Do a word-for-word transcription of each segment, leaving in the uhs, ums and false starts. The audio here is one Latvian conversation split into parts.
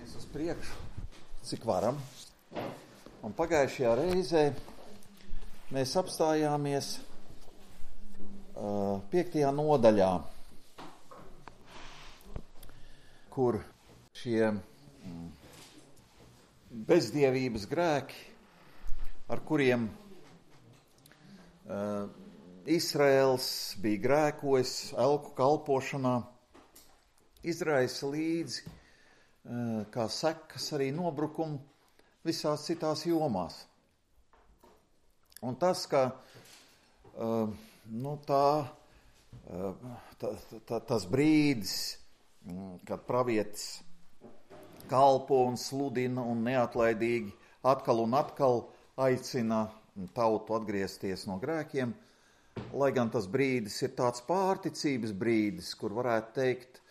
Mēs uz priekšu, cik varam. Un pagājušajā reizē mēs apstājāmies uh, piektajā nodaļā, kur šie mm, bezdievības grēki, ar kuriem uh, Izraels bija grēkojis elku kalpošanā, izraisa līdzi uh, kā sekas arī nobrukumu visās citās jomās. Un tas, ka uh, nu, tā, uh, tā, tā, tas brīdis, kad pravietis kalpo un sludina un neatlaidīgi atkal un atkal aicina tautu atgriezties no grēkiem, lai gan tas brīdis ir tāds pārticības brīdis, kur varētu teikt,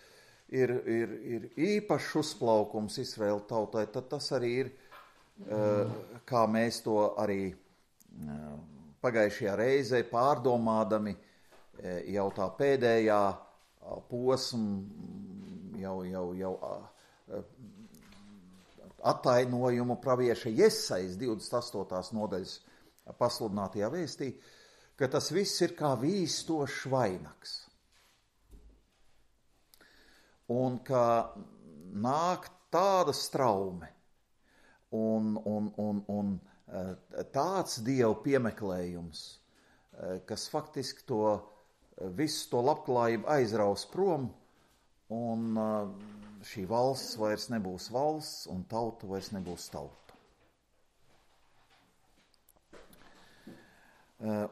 ir, ir, ir īpašs uzplaukums Izraēla tautai, tad tas arī ir, kā mēs to arī pagājušajā reizē pārdomādami jau tā pēdējā posmu, jau, jau, jau attainojumu pravieša Jesajas divdesmit astotās nodaļas pasludinātajā vēstī, ka tas viss ir kā vīstošs vainags. Un ka nāk tāda straume un, un, un, un tāds Dievu piemeklējums, kas faktiski to visu to labklājību aizraus prom, un šī valsts vairs nebūs valsts, un tauta vairs nebūs tauta.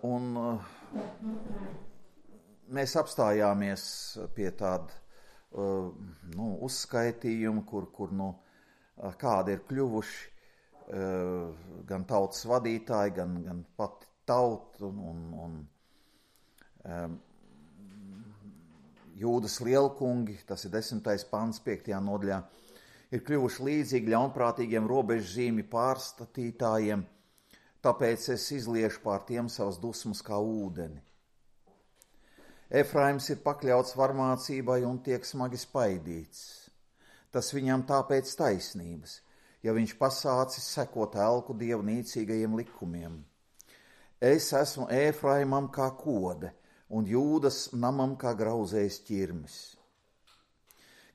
Un mēs apstājāmies pie tāda nu, uzskaitījuma, kur, kur nu, kādi ir kļuvuši gan tautas vadītāji, gan, gan pati tauta, un, un um, Jūdas lielkungi, tas ir desmitais pants piektajā nodaļā, ir kļuvuši līdzīgi ļaunprātīgiem robežzīmi pārstatītājiem, tāpēc es izliešu pār tiem savas dusmas kā ūdeni. Efraims ir pakļauts varmācībai un tiek smagi spaidīts. Tas viņam tāpēc taisnības, ja viņš pasācis sekot elku dievu nīcīgajiem likumiem. Es esmu Efraimam kā kode, un Jūdas namam kā grauzējs ķirmis.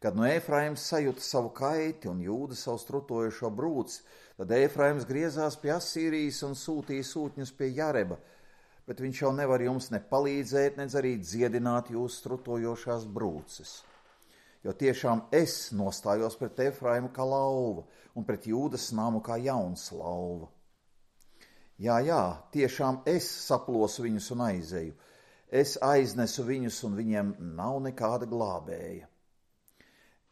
Kad no Efraims sajūta savu kaiti un Jūda savu strutojošo brūci, tad Efraims griezās pie Asīrijas un sūtīja sūtņus pie Jareba, bet viņš jau nevar jums ne palīdzēt, ne arī dziedināt jūsu strutojošās brūces. Jo tiešām es nostājos pret Efraimu kā lauva un pret Jūdas namu kā jauns lauva. Jā, jā, tiešām es saplosu viņus un aizeju. Es aiznesu viņus, un viņiem nav nekāda glābēja.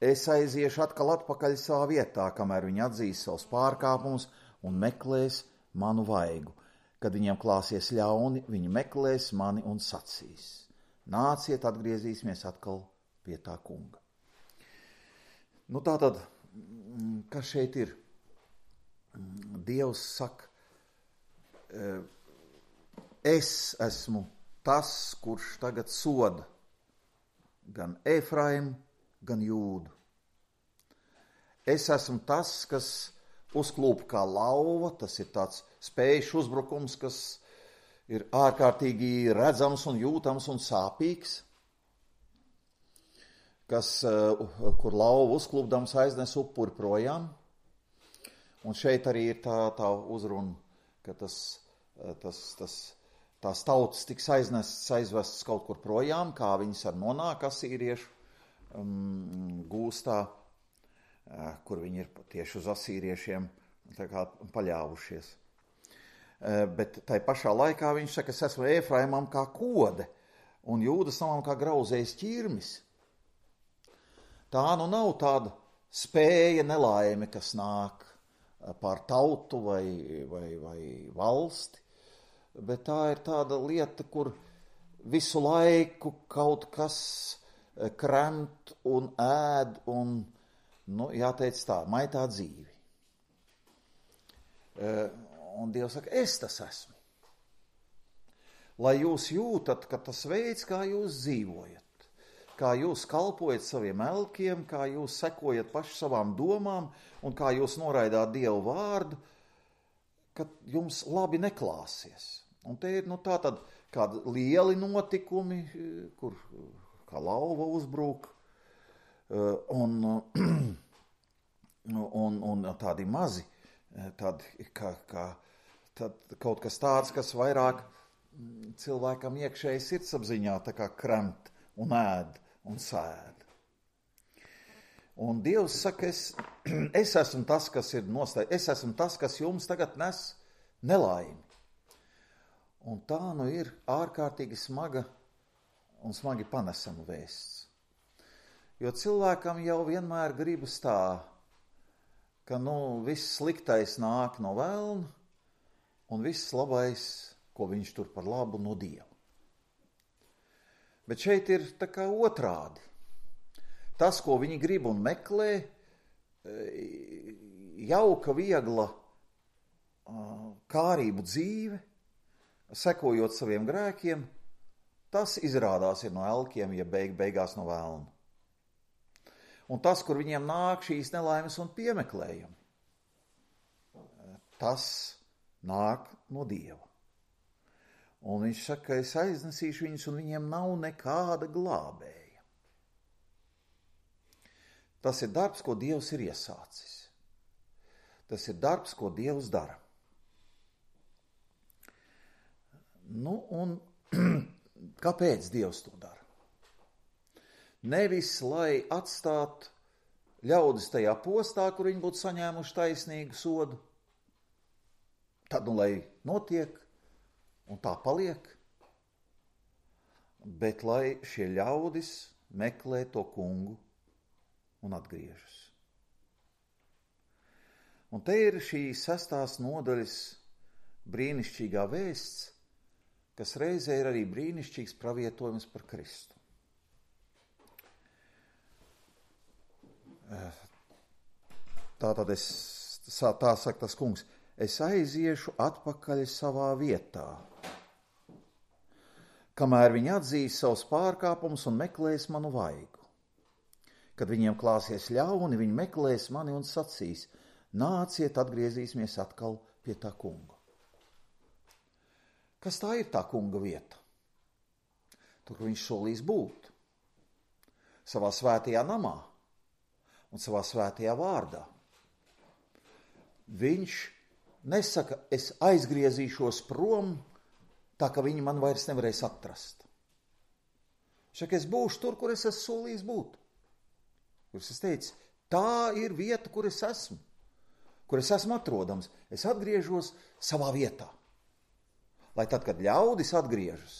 Es aiziešu atkal atpakaļ savā vietā, kamēr viņi atzīs savus pārkāpumus un meklēs manu vaigu. Kad viņiem klāsies ļauni, viņi meklēs mani un sacīs. Nāciet, atgriezīsimies atkal pie tā kunga. Nu tātad, kas šeit ir? Dievs saka, es esmu tas, kurš tagad soda gan Efraimu, gan Jūdu. Es esmu tas, kas uzklūp kā lauva, tas ir tāds spējušs uzbrukums, kas ir ārkārtīgi redzams un jūtams un sāpīgs, kas, kur lauva uzklūpdams aiznes upuri projām. Un šeit arī ir tā, tā uzruna, ka tas, tas, tas tās tautas tiks aiznestas, aizvestas kaut kur projām, kā viņas ar nonāk asīriešu um, gūstā, uh, kur viņi ir tieši uz asīriešiem tā kā paļāvušies. Uh, bet tai pašā laikā viņš saka, es esmu Efraimam kā kode un Jūdas namam kā grauzējs ķirmis. Tā nu nav tāda spēja nelaime, kas nāk pār tautu vai, vai, vai valsti, bet tā ir tāda lieta, kur visu laiku kaut kas kremt un ēd un, nu, jāteic tā, maitā dzīvi. Un Dievs saka, es tas esmu. Lai jūs jūtat, ka tas veids, kā jūs dzīvojat, kā jūs kalpojat saviem elkiem, kā jūs sekojat paši savām domām un kā jūs noraidāt Dievu vārdu, ka jums labi neklāsies. Un te ir nu, tā tad kādi lieli notikumi, kur kā lauva uzbrūk, un, un, un tādi mazi, tādi, kā, kā, tad kaut kas tāds, kas vairāk cilvēkam iekšēji sirdsapziņā tā kā kremt un ēd un sēd. Un Dievs saka, es, es esmu tas, kas ir nostājis, es esmu tas, kas jums tagad nes nelaimi. Un tā nu ir ārkārtīgi smaga un smagi panesama vēsts. Jo cilvēkam jau vienmēr gribas tā, ka nu, viss sliktais nāk no velna un viss labais, ko viņš tur par labu, no Dieva. Bet šeit ir tā kā otrādi. Tas, ko viņi grib un meklē, jauka, viegla, kārību dzīve, sekojot saviem grēkiem, tas izrādās ir no elkiem, ja beig, beigās no velna. Un tas, kur viņiem nāk šīs nelaimes un piemeklējumi, tas nāk no Dieva. Un viņš saka, es aiznesīšu viņus, un viņiem nav nekāda glābēja. Tas ir darbs, ko Dievs ir iesācis. Tas ir darbs, ko Dievs dara. Nu, un kāpēc Dievs to dara? Nevis, lai atstātu ļaudis tajā postā, kur viņi būtu saņēmuši taisnīgu sodu, tad, nu, lai notiek, un tā paliek, bet lai šie ļaudis meklē to kungu un atgriežas. Un te ir šī sestās nodaļas brīnišķīgā vēsts, kas reizē ir arī brīnišķīgs pravietojums par Kristu. Tātad es, tā saka tas kungs, es aiziešu atpakaļ savā vietā, kamēr viņi atzīs savus pārkāpumus un meklēs manu vaigu. Kad viņiem klāsies ļauni, viņi meklēs mani un sacīs, nāciet, atgriezīsimies atkal pie tā kunga. Kas tā ir tā kunga vieta? Tur, kur viņš solīs būt. Savā svētajā namā un savā svētajā vārdā. Viņš nesaka, es aizgriezīšos prom, tā ka viņi man vairs nevarēs atrast. Saka, es būšu tur, kur es esmu solījis būt. Kur es teicu, tā ir vieta, kur es esmu, kur es esmu atrodams. Es atgriežos savā vietā. Lai tad, kad ļaudis atgriežas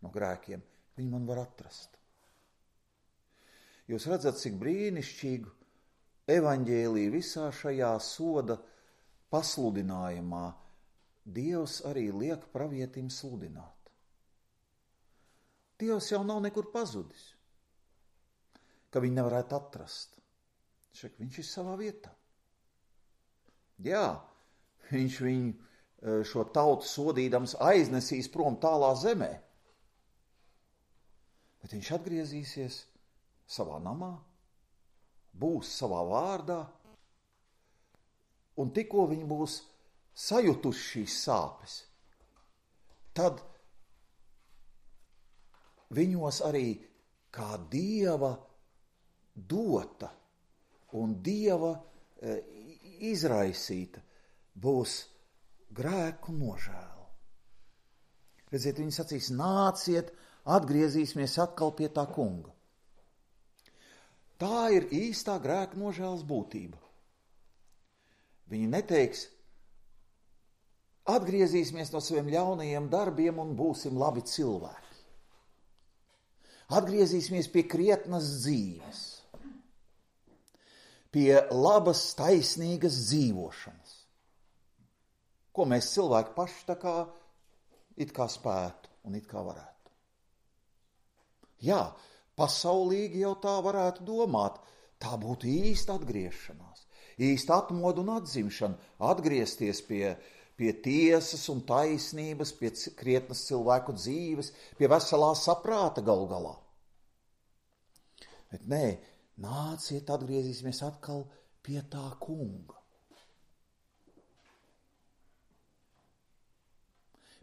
no grēkiem, viņi man var atrast. Jūs redzat, cik brīnišķīgu evaņģēliju visā šajā soda pasludinājumā Dievs arī liek pravietim sludināt. Dievs jau nav nekur pazudis, ka viņi nevarētu atrast. Šak, viņš ir savā vietā. Jā, viņš viņu šo tautu sodīdams aiznesīs prom tālā zemē, bet viņš atgriezīsies savā namā, būs savā vārdā, un tikko viņi būs sajutuši šīs sāpes, tad viņos arī kā Dieva dota un Dieva e, izraisīta būs grēku nožēla. Redziet, viņi sacīs, nāciet, atgriezīsimies atkal pie tā kunga. Tā ir īstā grēku nožēlas būtība. Viņi neteiks, atgriezīsimies no saviem ļaunajiem darbiem un būsim labi cilvēki. Atgriezīsimies pie krietnas dzīves, pie labas, taisnīgas dzīvošanas, ko mēs cilvēki paši tā kā it kā spētu un it kā varētu. Jā, pasaulīgi jau tā varētu domāt, tā būtu īsta atgriešanās, īsta atmoda un atzimšana, atgriezties pie, pie tiesas un taisnības, pie krietnas cilvēku dzīves, pie veselā saprāta galu galā. Bet nē, nāciet, atgriezīsimies atkal pie tā kunga.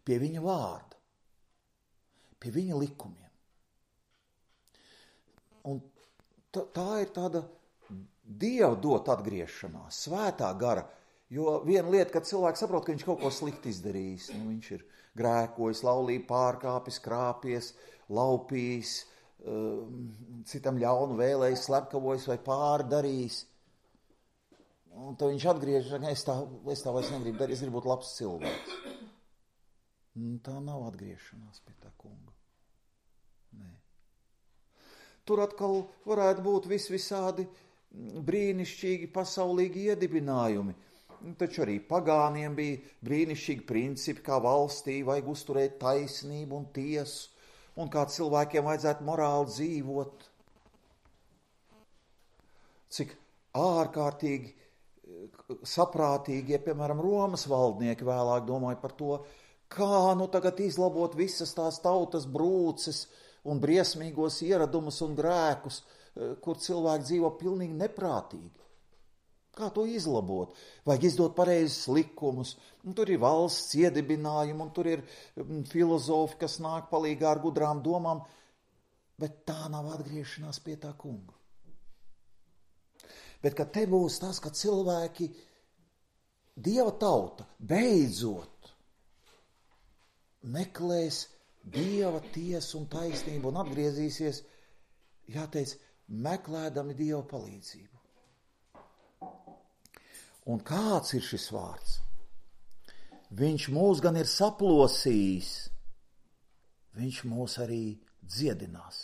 Pie viņa vārda, pie viņa likumiem. Un tā, tā ir tāda Dieva dot atgriešanās, svētā gara, jo viena lieta, kad cilvēks saprot, ka viņš kaut ko slikti izdarījis, nu, viņš ir grēkojis, laulību pārkāpis, krāpies, laupījis, citam ļaunu vēlējis, slepkavojis vai pārdarījis. Un tad viņš atgriežas, ka es tā, es tā vairs negribu darīt, es gribu būt labs cilvēks. Un tā nav atgriešanās pie tā kunga. Nē. Tur atkal varētu būt vis visādi brīnišķīgi pasaulīgi iedibinājumi. Taču arī pagāniem bija brīnišķīgi principi, kā valstī vajag uzturēt taisnību un tiesu, un kā cilvēkiem vajadzētu morāli dzīvot. Cik ārkārtīgi saprātīgie, piemēram, Romas valdnieki vēlāk domāja par to, kā nu tagad izlabot visas tās tautas brūces un briesmīgos ieradumus un grēkus, kur cilvēki dzīvo pilnīgi neprātīgi. Kā to izlabot? Vajag izdot pareizus likumus. Un tur ir valsts iedibinājumi, un tur ir filozofi, kas nāk palīgā ar gudrām domām, bet tā nav atgriešanās pie tā kunga. Bet kad te būs tas, ka cilvēki, Dieva tauta, beidzot meklēs Dieva tiesu un taisnību un atgriezīsies, jāteic, meklēdami Dieva palīdzību. Un kāds ir šis vārds? Viņš mūs gan ir saplosījis, viņš mūs arī dziedinās.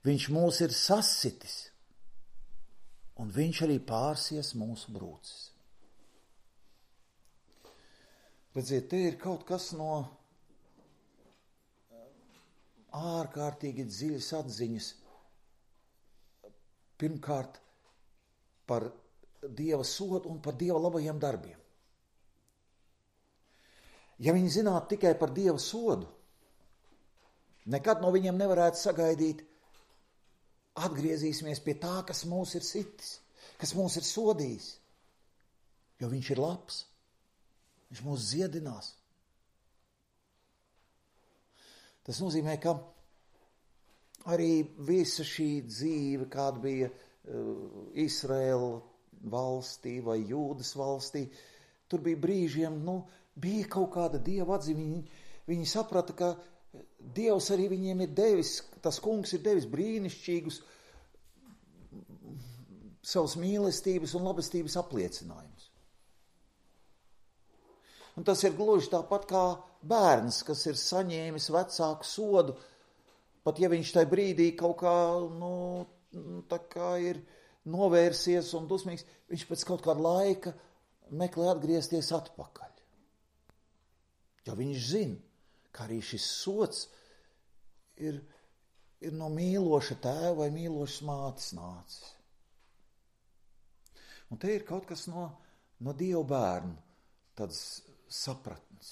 Viņš mūs ir sasitis, un viņš arī pārsies mūsu brūces. Redziet, te ir kaut kas no ārkārtīgi dziļas atziņas. Pirmkārt, par Dieva sodu un par Dieva labajiem darbiem. Ja viņi zinātu tikai par Dieva sodu, nekad no viņiem nevarētu sagaidīt, atgriezīsimies pie tā, kas mūs ir sitis, kas mūs ir sodījis, jo viņš ir labs. Viņš mūs dziedinās. Tas nozīmē, ka arī visa šī dzīve, kāda bija uh, Izraēla valstī vai Jūdas valstī, tur bija brīžiem, nu, bija kaut kāda Dieva atziņa. Viņi, viņi saprata, ka Dievs arī viņiem ir devis, tas kungs ir devis brīnišķīgus savas mīlestības un labestības apliecinājumus. Un tas ir gluži tāpat kā bērns, kas ir saņēmis vecāku sodu, pat ja viņš tajā brīdī kaut kā, nu, tā kā ir novērsies un dusmīgs, viņš pēc kaut kāda laika meklē atgriezties atpakaļ. Jo viņš zina, ka arī šis sods ir, ir no mīloša tēva vai mīlošas mātes nācis. Un te ir kaut kas no, no Dieva bērnu, tāds sapratnes,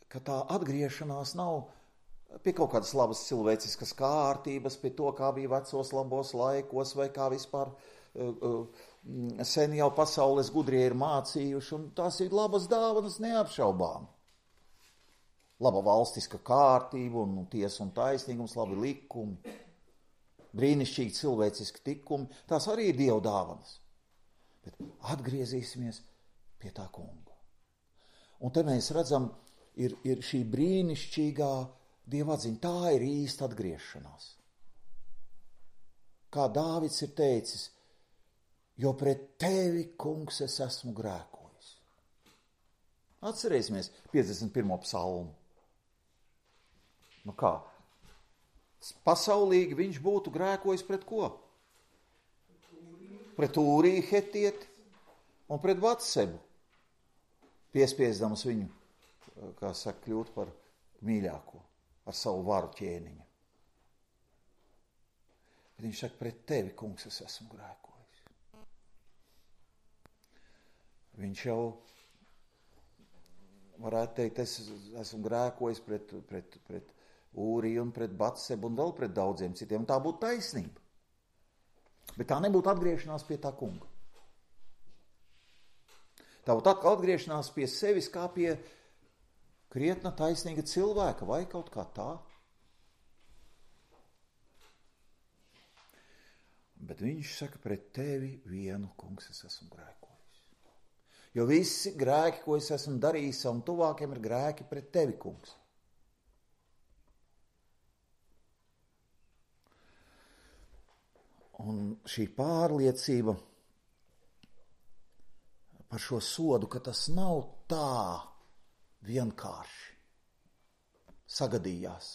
ka tā atgriešanās nav pie kaut kādas labas cilvēciskas kārtības, pie to, kā bija vecos labos laikos, vai kā vispār uh, uh, sen jau pasaules gudrie ir mācījuši, un tās ir labas dāvanas neapšaubām. Laba valstiska kārtība, un tiesa un taisnīgums, labi likumi, brīnišķīgi cilvēciski tikumi, tās arī ir Dieva dāvanas. Bet atgriezīsimies pie tā kunga. Un te mēs redzam, ir, ir šī brīnišķīgā Dieva atziņa, tā ir īsta atgriešanās. Kā Dāvids ir teicis, jo pret tevi, kungs, es esmu grēkojis. Atcerēsimies piecdesmit pirmo psalmu. Nu kā? Pasaulīgi viņš būtu grēkojis pret ko? Pret Ūriju hetieti un pret Batsebu, piespiesdams viņu, kā saka, kļūt par mīļāko ar savu varu ķēniņu. Bet viņš saka, pret tevi, kungs, es esmu grēkojis. Viņš jau varētu teikt, es esmu grēkojis pret, pret, pret Ūriju un pret Batsebu un vēl pret daudziem citiem. Tā būtu taisnība. Bet tā nebūtu atgriešanās pie tā kunga. Tā būtu atkal atgriešanās pie sevis kā pie krietna taisnīga cilvēka vai kaut kā tā. Bet viņš saka, pret tevi vienu, kungs, es esmu grēkojis. Jo visi grēki, ko es esmu darījis savam tuvākiem, ir grēki pret tevi, kungs. Un šī pārliecība par šo sodu, ka tas nav tā vienkārši sagadījās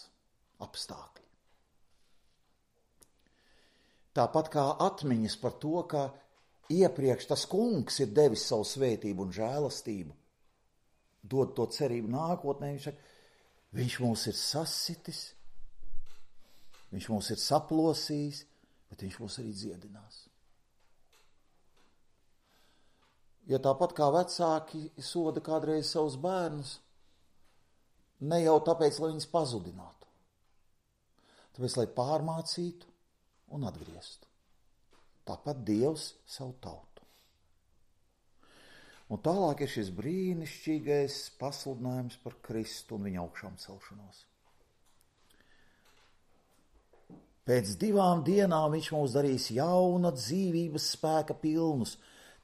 apstākļi. Tāpat kā atmiņas par to, ka iepriekš tas kungs ir devis savu svētību un žēlastību, dod to cerību nākotnē, viņš saka, viņš mūs ir sasitis, viņš mūs ir saplosījis, bet viņš mūs arī dziedinās. Ja tāpat kā vecāki soda kādreiz savus bērnus, ne jau tāpēc, lai viņus pazudinātu, tāpēc, lai pārmācītu un atgrieztu. Tāpat Dievs savu tautu. Un tālāk ir šis brīnišķīgais pasludinājums par Kristu un viņa augšām celšanos. Pēc divām dienām viņš mūs darīs jauna dzīvības spēka pilnus.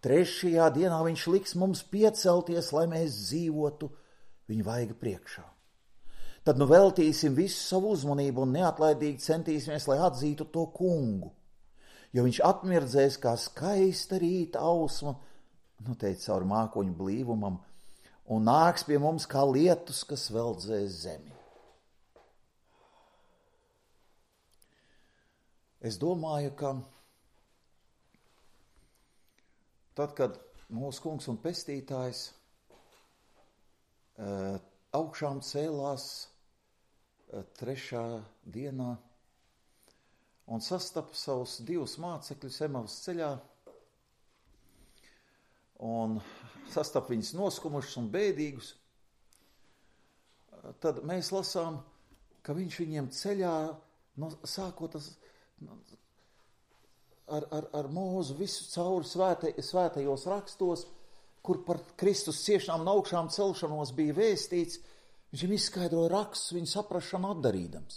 Trešajā dienā viņš liks mums piecelties, lai mēs dzīvotu viņa vaiga priekšā. Tad nu veltīsim visu savu uzmanību un neatlaidīgi centīsimies, lai atzītu to kungu. Jo viņš atmirdzēs kā skaista rīta ausma, nu teica caur mākoņu blīvumam, un nāks pie mums kā lietus, kas veldzēs zemi. Es domāju, ka tad, kad mūsu kungs un pestītājs uh, augšām cēlās uh, trešā dienā un sastapa savus divus mācekļus Emavas ceļā un sastapa viņus noskumušus un bēdīgus, uh, tad mēs lasām, ka viņš viņiem ceļā, no, sākot tas, Ar, ar, ar mūzu visu cauri svēta, svētajos rakstos, kur par Kristus ciešanām un augšām celšanos bija vēstīts, viņš viņam izskaidroja rakstus viņu saprašanu atdarīdams.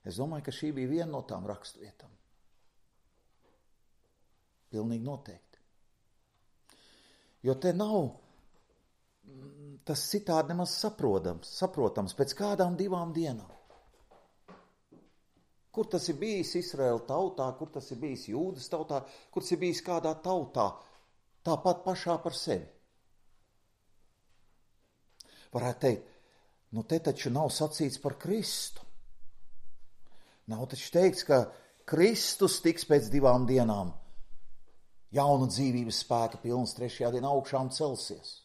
Es domāju, ka šī bija viena no tām rakstvietām. Pilnīgi noteikti. Jo te nav tas citādi nemaz saprotams, saprotams pēc kādām divām dienām. Kur tas ir bijis Izraēla tautā, kur tas ir bijis Jūdas tautā, kur tas ir bijis kādā tautā, tāpat pašā par sevi. Varētu teikt, nu te taču nav sacīts par Kristu. Nav taču teikts, ka Kristus tiks pēc divām dienām jauna dzīvības spēka pilns, trešajā dienā augšām celsies.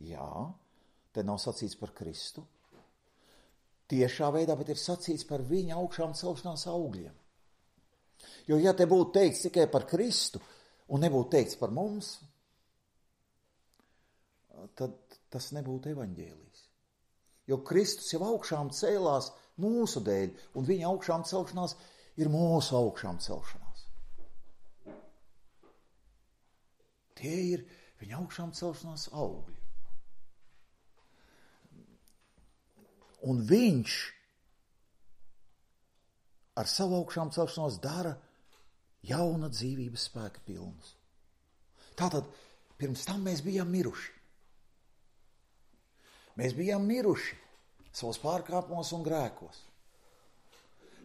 Jā, te nav sacīts par Kristu. Tiešā veidā, bet ir sacīts par viņa augšām celšanās augļiem. Jo, ja te būtu teikts tikai par Kristu un nebūtu teikts par mums, tad tas nebūtu evaņģēlijs. Jo Kristus jau augšām cēlās mūsu dēļ, un viņa augšām celšanās ir mūsu augšām celšanās. Tie ir viņa augšām celšanās augļi. Un viņš ar savu augšām celšanos dara jauna dzīvības spēka pilnus. Tātad pirms tam mēs bijām miruši. Mēs bijām miruši savos pārkāpumos un grēkos.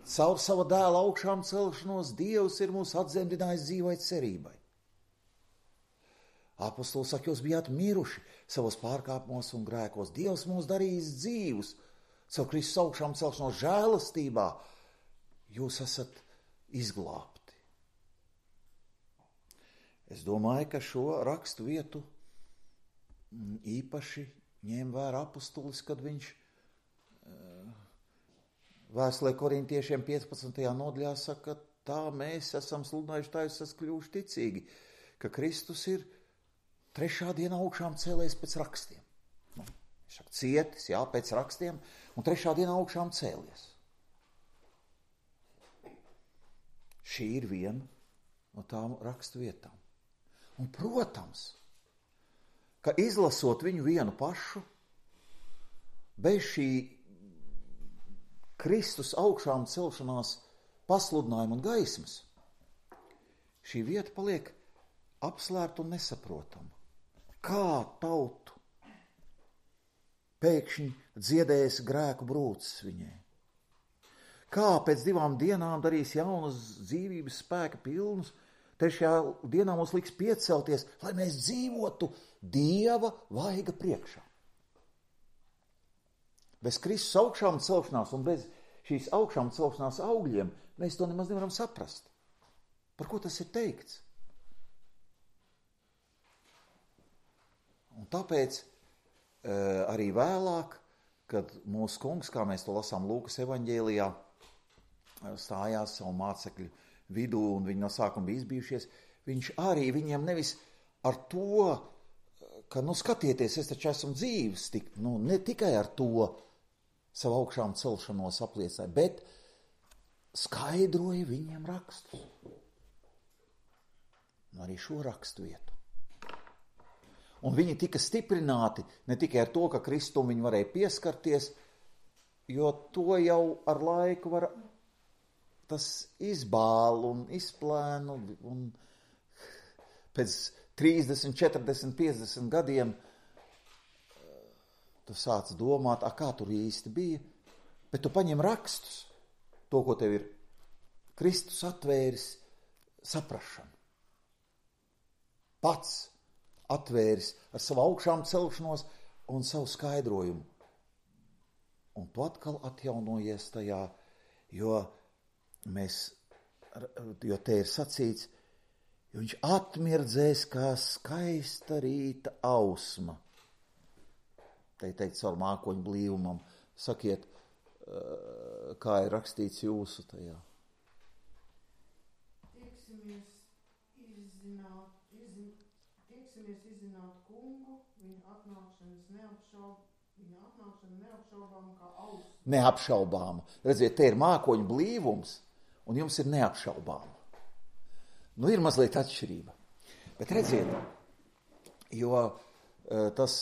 Caur sava dēla augšām celšanos Dievs ir mūs atzemdinājis dzīvai cerībai. Apostols saka, jūs bijāt miruši savos pārkāpumos un grēkos. Dievs mūs darījis dzīvus. Caur Kristus augšām celšanos žēlastībā jūs esat izglābti. Es domāju, ka šo rakstu vietu īpaši ņēma vērā apostolis, kad viņš vēstulē korintiešiem piecpadsmitajā nodaļā saka, tā mēs esam sludinājuši, tā jūs esat kļuvuši ticīgi, ka Kristus ir trešā dienā augšām cēlējis pēc rakstiem. Nu, saka, cietis, jā, pēc rakstiem, un trešā dienā augšām cēlies. Šī ir viena no tām rakstu vietām. Un, protams, ka izlasot viņu vienu pašu, bez šī Kristus augšām celšanās pasludinājuma un gaismas, šī vieta paliek apslēpta un nesaprotama. Kā tautu pēkšņi dziedēs grēku brūces viņai? Kā pēc divām dienām darīs jaunus dzīvības spēka pilnus, trešajā dienā mums liks piecelties, lai mēs dzīvotu Dieva vaiga priekšā. Bez Kristus augšām celšanās un bez šīs augšām celšanās augļiem mēs to nemaz nevaram saprast. Par ko tas ir teikts? Un tāpēc e, arī vēlāk, kad mūsu kungs, kā mēs to lasām Lūkas evaņģēlijā, stājās savu mācekļu vidū un viņi no sākuma bija izbijušies, viņš arī viņiem nevis ar to, ka, nu, skatieties, es taču esmu dzīves, tik, nu, ne tikai ar to savu augšām celšanos apliecināja, bet skaidroja viņiem rakstus. Un arī šo rakstu vietu. Un viņi tika stiprināti ne tikai ar to, ka Kristum viņi varēja pieskarties, jo to jau ar laiku var tas izbāl un izplēn, un, un pēc trīsdesmit, četrdesmit, piecdesmit gadiem tu sāc domāt, a, kā tur īsti bija, bet tu paņem rakstus, to, ko tev ir Kristus atvēris saprašanu. Pats atvēris ar savu augšām celšanos un savu skaidrojumu. Un tu atkal atjaunojies tajā, jo mēs, jo te ir sacīts, jo viņš atmirdzēs kā skaista rīta ausma. Te ir teikt caur mākoņu blīvumam. Sakiet, kā ir rakstīts jūsu tajā. Tieksimies izzināt, izzin, tieksimies izzināt kungu, viņa atnākšanas neapšaub, viņa atnākšana neapšaubām kā ausma. Neapšaubām. Redziet, te ir mākoņu blīvums, un jums ir neapšaubām. Nu, ir mazliet atšķirība. Bet redziet, jo tas,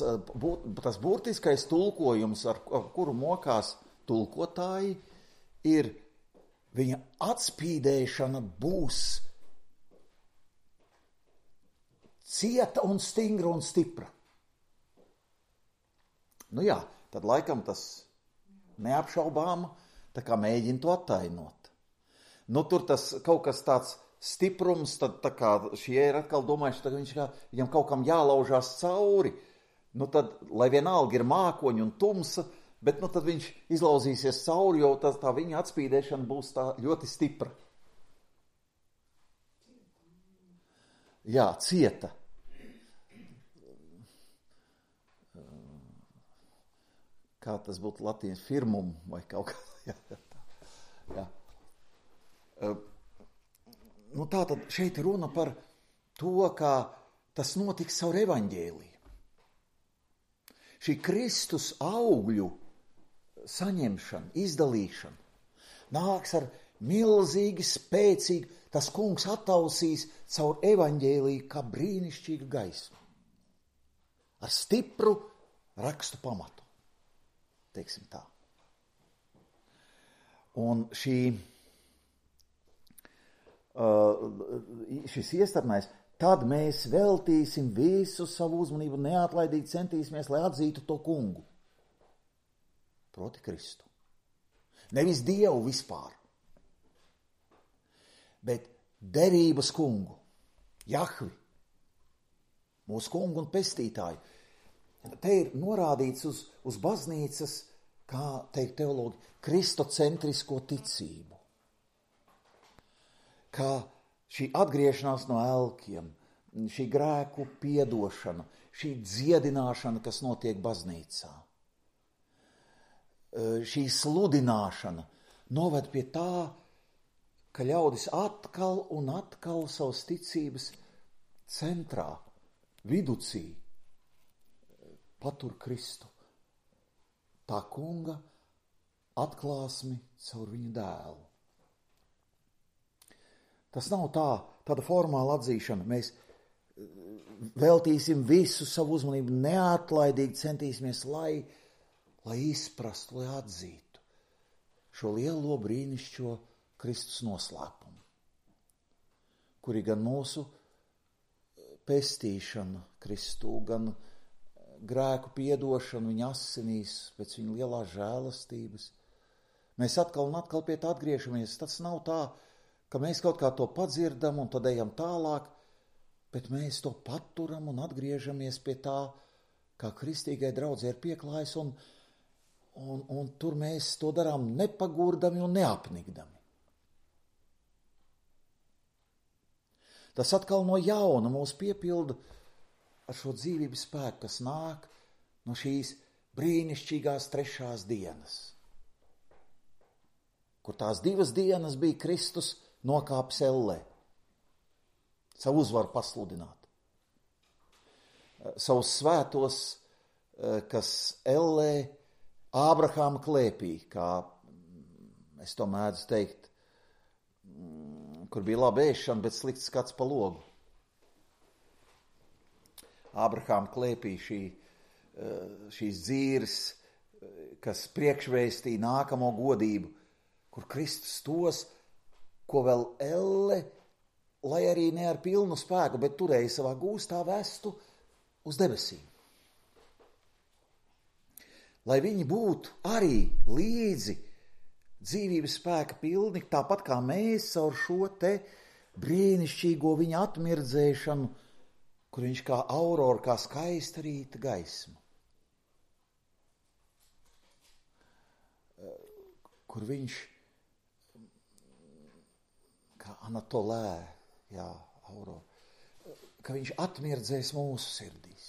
tas burtiskais tulkojums, ar, ar kuru mokās tulkotāji, ir viņa atspīdēšana būs cieta un stingra un stipra. Nu jā, tad laikam tas neapšaubāma, tā kā mēģina to attainot. Nu tur tas kaut kas tāds stiprums, tad tā kā šie ir atkal domājuši, ka viņš kā, viņam kaut kam jālaužās cauri, nu tad, lai vienalga ir mākoņi un tumsa, bet nu tad viņš izlauzīsies cauri, jo tā, tā viņa atspīdēšana būs tā ļoti stipra. Jā, cieta. Kā tas būtu latīņas firmum vai kaut kā. Jā, jā. jā. Nu tā tad šeit runa par to, kā tas notiks caur evaņģēliju. Šī Kristus augļu saņemšana, izdalīšana nāks ar milzīgi spēcīgu, tas kungs attausīs caur evaņģēliju kā brīnišķīgu gaismu. Ar stipru rakstu pamatu, teiksim tā. Un šī Uh, šis iestarnais, tad mēs veltīsim visu savu uzmanību, neatlaidīgi centīsimies, lai atzītu to kungu. Proti Kristu. Nevis Dievu vispār, bet derības kungu, Jahvi, mūsu kungu un pestītāju. Te ir norādīts uz, uz baznīcas, kā teikt teologi, kristocentrisko ticību. Kā šī atgriešanās no elkiem, šī grēku piedošana, šī dziedināšana, kas notiek baznīcā, šī sludināšana noved pie tā, ka ļaudis atkal un atkal savas ticības centrā, viducī, patur Kristu tā kunga atklāsmi caur viņu dēlu. Tas nav tā, tāda formāla atzīšana. Mēs veltīsim visu savu uzmanību, neatlaidīgi centīsimies, lai, lai izprastu, lai atzītu šo lielo brīnišķo Kristus noslēpumu, kuri gan mūsu pestīšana Kristū, gan grēku piedošana viņa asinīs pēc viņa lielās žēlastības. Mēs atkal un atkal pie tā atgriežamies. Tas nav tā, ka mēs kaut kā to padzirdam un tad ejam tālāk, bet mēs to paturam un atgriežamies pie tā, kā kristīgai draudzē ir pieklājis, un, un, un tur mēs to darām nepagurdami un neapnikdami. Tas atkal no jauna mūs piepilda ar šo dzīvības spēku, kas nāk no šīs brīnišķīgās trešās dienas, kur tās divas dienas bija Kristus nokāpis ellē, savu uzvaru pasludināt. Savus svētos, kas ellē Ābrahāma klēpī, kā es to mēdzu teikt, kur bija laba ēšana, bet slikts skats pa logu. Ābrahāma klēpī šī, šīs dzīves, kas priekšvēstīja nākamo godību, kur Kristus tos, ko vēl elle, lai arī ne ar pilnu spēku, bet turēja savā gūstā, vestu uz debesīm. Lai viņi būtu arī līdzi dzīvības spēka pilni, tāpat kā mēs caur šo te brīnišķīgo viņa atmirdzēšanu, kur viņš kā aurora, kā skaista rīta gaisma, kur viņš kā Anatolē, jā, aurora, ka viņš atmirdzēs mūsu sirdīs.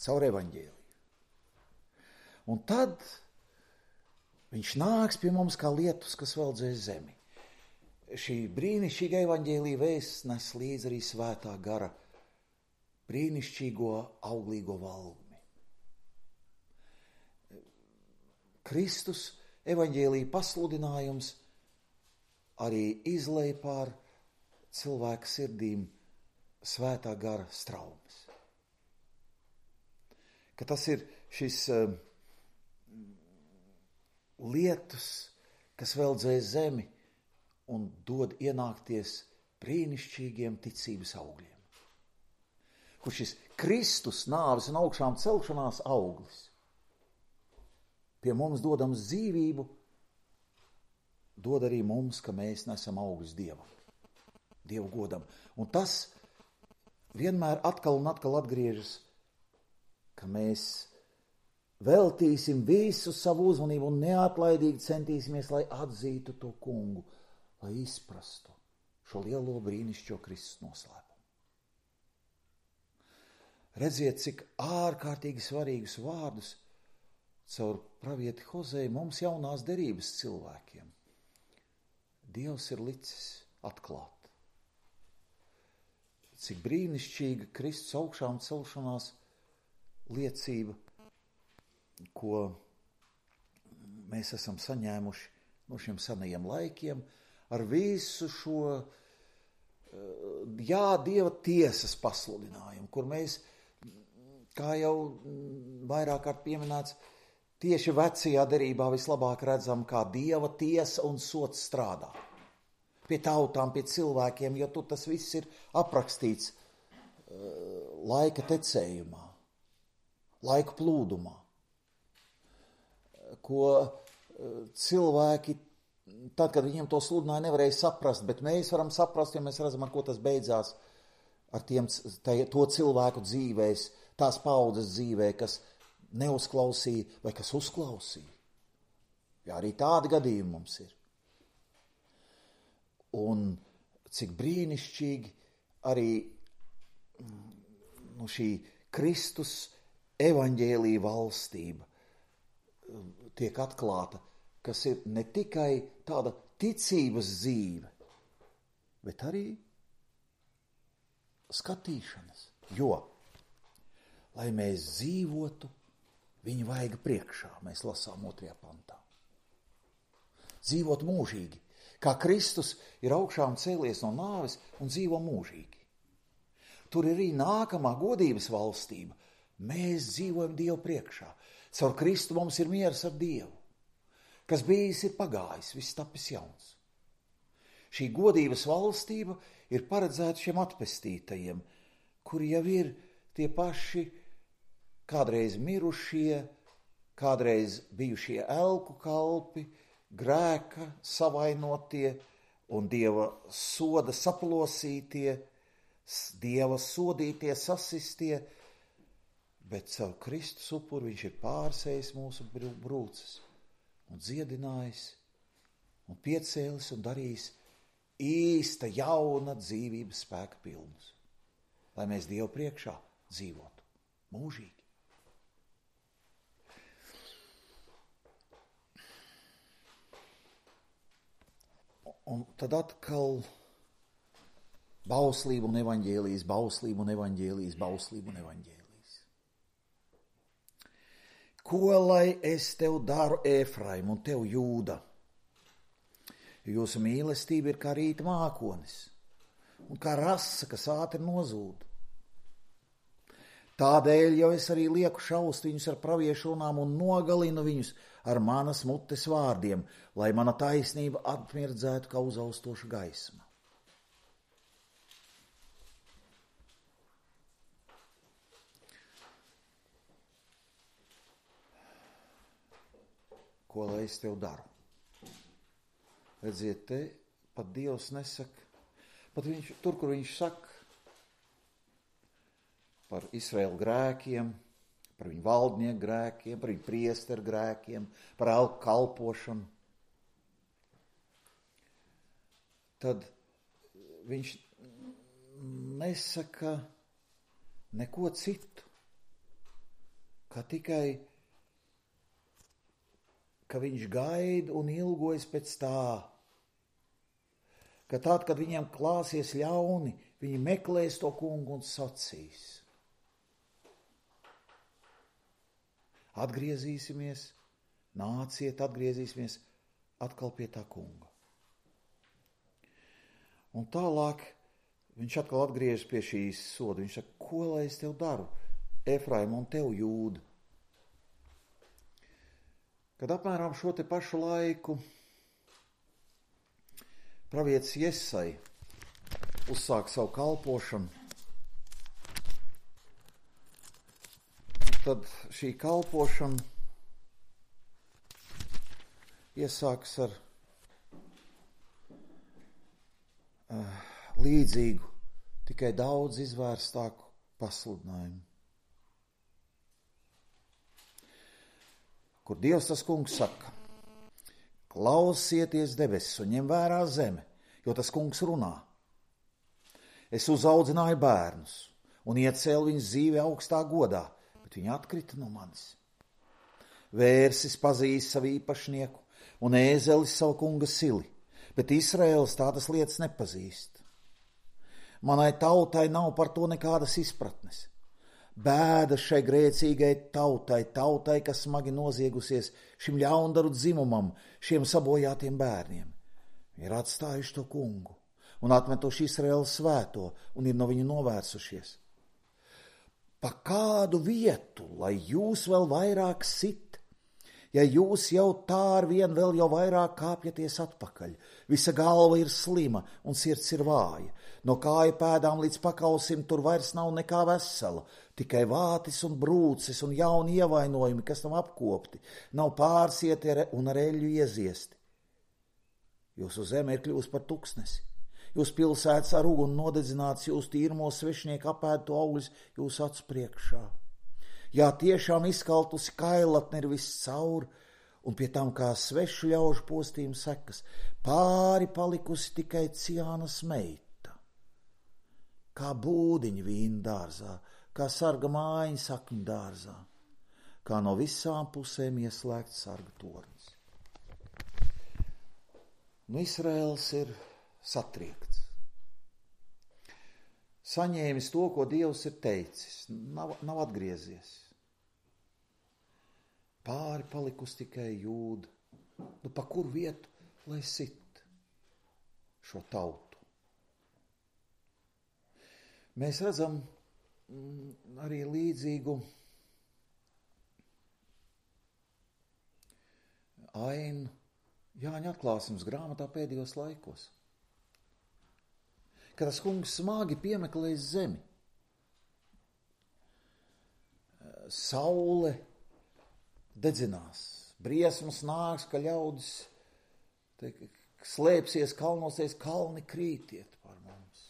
Caur evaņģēliju. Un tad viņš nāks pie mums kā lietus, kas veldzēs zemi. Šī brīnišķīga evaņģēlija vēsts nes līdz arī svētā gara brīnišķīgo auglīgo valgmi. Kristus evaņģēlija pasludinājums arī izlej pār cilvēka sirdīm svētā gara straumes. Ka tas ir šis uh, lietus, kas veldzē zemi un dod ienākties brīnišķīgiem ticības augļiem. Kur šis Kristus nāves un augšām celšanās auglis pie mums dodams dzīvību, dod arī mums, ka mēs nesam augļus Dievam, Dievu godam. Un tas vienmēr atkal un atkal atgriežas, ka mēs veltīsim visu savu uzmanību un neatlaidīgi centīsimies, lai atzītu to kungu, lai izprastu šo lielo brīnišķo Kristus noslēpumu. Redziet, cik ārkārtīgi svarīgus vārdus caur pravieti Hozēju mums jaunās derības cilvēkiem Dievs ir licis atklāt. Cik brīnišķīga Kristus augšām celšanās liecība, ko mēs esam saņēmuši no šiem senajiem laikiem, ar visu šo, jā, Dieva tiesas pasludinājumu, kur mēs, kā jau vairāk kārt pieminēts, tieši vecajā derībā vislabāk redzam, kā Dieva tiesa un sots strādā. Pie tautām, pie cilvēkiem, jo tur tas viss ir aprakstīts laika tecējumā, laika plūdumā, ko cilvēki, tad, kad viņiem to sludināja, nevarēja saprast, bet mēs varam saprast, ja mēs redzam, ar ko tas beidzās, ar tiem, to cilvēku dzīvēs, tās paudzes dzīvē, kas neuzklausīja vai kas uzklausīja. Jā, arī tādi gadījumi mums ir. Un cik brīnišķīgi arī nu, šī Kristus evaņģēlija valstība tiek atklāta, kas ir ne tikai tāda ticības dzīve, bet arī skatīšanas. Jo, lai mēs dzīvotu viņa vaiga priekšā, mēs lasām otrajā pantā. Dzīvot mūžīgi, kā Kristus ir augšām cēlies no nāves un dzīvo mūžīgi. Tur ir arī nākamā godības valstība. Mēs dzīvojam Dievu priekšā. Caur Kristu mums ir miers ar Dievu. Kas bijis ir pagājis, viss tapis jauns. Šī godības valstība ir paredzēta šiem atpestītajiem, kuri jau ir tie paši kādreiz mirušie, kādreiz bijušie elku kalpi, grēka savainotie un Dieva soda saplosītie, Dieva sodītie, sasistie, bet caur Kristus upuru viņš ir pārsējis mūsu brūces un dziedinājis un piecēlis un darījis īsta jauna dzīvības spēka pilnus, lai mēs Dievu priekšā dzīvotu mūžīgi. Un tad atkal bauslība un evaņģēlijas, bauslība un evaņģēlijas, bauslība un evaņģēlijas. Ko lai es tev daru, Ēfraim, un tev, Jūda? Jūsu mīlestība ir kā rīta mākonis un kā rasa, kas ātri nozūd. Tādēļ jau es arī lieku šaust viņus ar praviešu runām un nogalinu viņus ar manas mutes vārdiem, lai mana taisnība atmirdzētu kā uzaustoša gaisma. Ko lai es tev daru? Redziet, te pat Dievs nesaka, pat viņš, tur, kur viņš saka par Izraēlu grēkiem, par viņu valdnieku grēkiem, par viņu priesteru grēkiem, par elku kalpošanu, tad viņš nesaka neko citu, kā tikai, ka viņš gaida un ilgojas pēc tā, ka tad, kad viņiem klāsies ļauni, viņi meklēs to kungu un sacīs. Atgriezīsimies, nāciet, atgriezīsimies atkal pie tā kunga. Un tālāk viņš atkal atgriežas pie šīs soda. Viņš saka, ko lai es tev daru, Ēfraim, un tev, Jūda? Kad apmēram šo te pašu laiku pravietis Jesai uzsāk savu kalpošanu, tad šī kalpošana iesāks ar uh, līdzīgu, tikai daudz izvērstāku pasludinājumu. Kur Dievs tas kungs saka, klausieties debesis un ņem vērā zeme, jo tas kungs runā. Es uzaudzināju bērnus un iecēlu viņus dzīvi augstā godā, bet viņi atkrita no manis. Vērsis pazīst savu īpašnieku un ēzelis savu kunga sili, bet Izraēls tādas lietas nepazīst. Manai tautai nav par to nekādas izpratnes. Bēda šai grēcīgai tautai, tautai, kas smagi noziegusies šim ļaundaru dzimumam, šiem sabojātiem bērniem. Ir atstājuši to kungu un atmetuši Izraēlu svēto un ir no viņu novērsušies. Pa kādu vietu, lai jūs vēl vairāk sit, ja jūs jau tā ar vien vēl jau vairāk kāpjaties atpakaļ. Visa galva ir slima un sirds ir vāja. No kāju pēdām līdz pakausim tur vairs nav nekā vesela, tikai vātis un brūces un jauni ievainojumi, kas tam apkopti, nav pārsieti un ar eļļu ieziesti. Jūsu zeme ir kļūst par tuksnesi. Jūs pilsētas ar uguni nodedzināts, jūs tīrmo svešnieku apēdu augļus jūs acu priekšā. Jā, tiešām izkaltusi kailatne ir viss caur, un pie tam kā svešu ļaužu postījuma sekas, pāri palikusi tikai Ciānas meita. Kā būdiņa vīna dārzā, kā sarga mājiņa sakņu dārzā, kā no visām pusēm ieslēgts sarga tornis. Nu, Izraēls ir satriekts. saņēmis to, ko Dievs ir teicis, nav, nav atgriezies. Pāri palikusi tikai Jūda. Nu, pa kur vietu, lai sit šo tautu? Mēs redzam mm, arī līdzīgu ainu Jāņa atklāsmes grāmatā pēdējos laikos. Kad tas kungs smagi piemeklēs zemi. Saule dedzinās, briesmas nāks, ka ļaudis te, slēpsies kalnosies, kalni krītiet par mums.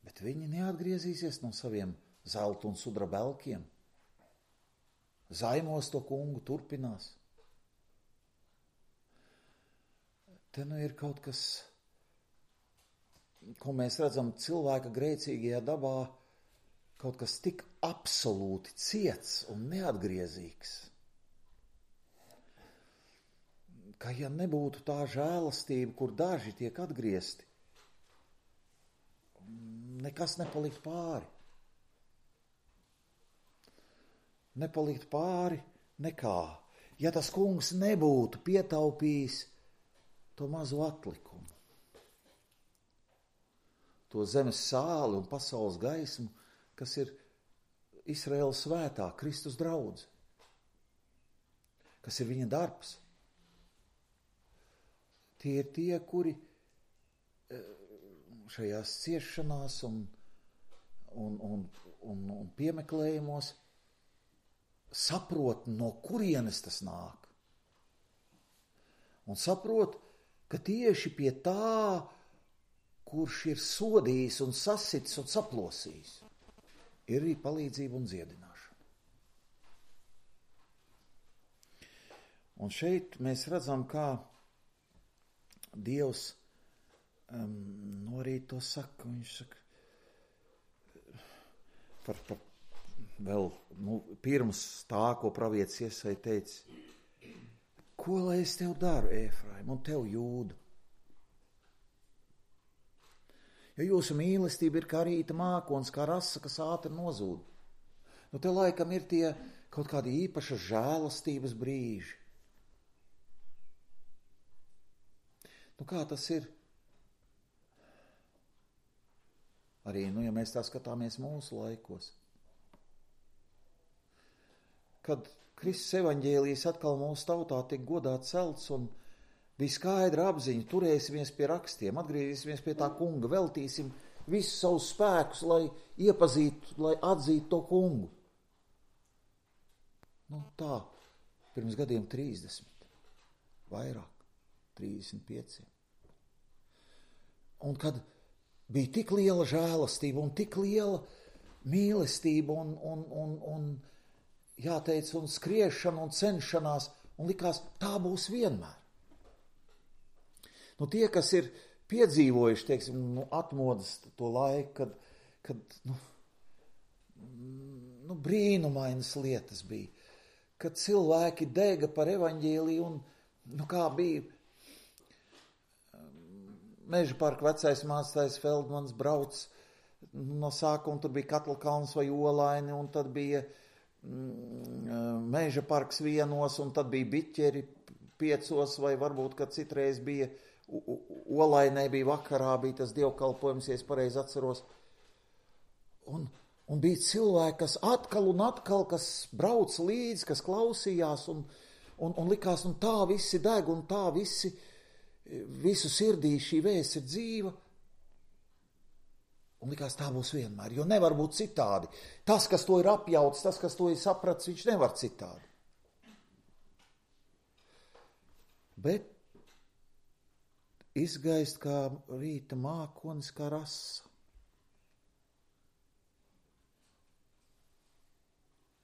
Bet viņi neatgriezīsies no saviem zelta un sudra belkiem. Zaimos to kungu turpinās. Te nu ir kaut kas, ko mēs redzam cilvēka grēcīgajā dabā, kaut kas tik absolūti ciets un neatgriezīgs, ka ja nebūtu tā žēlastība, kur daži tiek atgriezti, nekas nepalikt pāri. Nepalikt pāri nekā. Ja tas kungs nebūtu pietaupījis to mazo atlikumu, to zemes sāli un pasaules gaismu, kas ir Izraēlas svētā Kristus draudze, kas ir viņa darbs. Tie ir tie, kuri šajās ciešanās un, un, un, un, un piemeklējumos saprot, no kurienes tas nāk. Un saprot, ka tieši pie tā, kurš ir sodījis un sasitis un saplosījis, ir arī palīdzība un dziedināšana. Un šeit mēs redzam, kā Dievs um, no arī to saka. Viņš saka par, par vēl nu, pirms tā, ko pravietis Iesaja teica, ko lai es tev daru, Ēfraim, un tev Jūda? Jo jūsu mīlestība ir kā rīta mākons, kā rasa, kas ātri nozūd. Nu, te laikam ir tie kaut kādi īpašas žēlastības brīži. Nu, kā tas ir? Arī, nu, ja mēs tā skatāmies mūsu laikos. Kad Kristus evaņģēlijs atkal mūsu tautā tiek godā celts un bija skaidra apziņa, turēsimies pie rakstiem, atgriezīsimies pie tā kunga, veltīsim visus savus spēkus, lai iepazītu, lai atzītu to kungu. Nu tā, pirms gadiem trīsdesmit, vairāk, trīsdesmit pieci. Un kad bija tik liela žēlastība un tik liela mīlestība un, un, un, un jāteic, un skriešana un cenšanās, un likās, tā būs vienmēr. Nu, tie, kas ir piedzīvojuši, teiksim, nu, atmodas to laiku, kad, kad nu, nu, brīnumainas lietas bija, kad cilvēki dega par evaņģēliju un, nu, kā bija Meža parka vecais mācītājs Feldmans brauc no sākuma, tur bija Katlkalns vai Olaini, un tad bija Meža parks vienos, un tad bija Biķeri piecos, vai varbūt, kad citreiz bija Olainē, bija vakarā, bija tas dievkalpojums, ja es pareizi atceros. Un, un bija cilvēki, kas atkal un atkal, kas brauc līdzi, kas klausījās, un, un, un likās, un tā visi deg, un tā visi, visu sirdī šī vēsts ir dzīva. Un likās, tā būs vienmēr, jo nevar būt citādi. Tas, kas to ir apjauts, tas, kas to ir saprats, viņš nevar citādi. Bet izgaist kā rīta mākonis, kā rasa.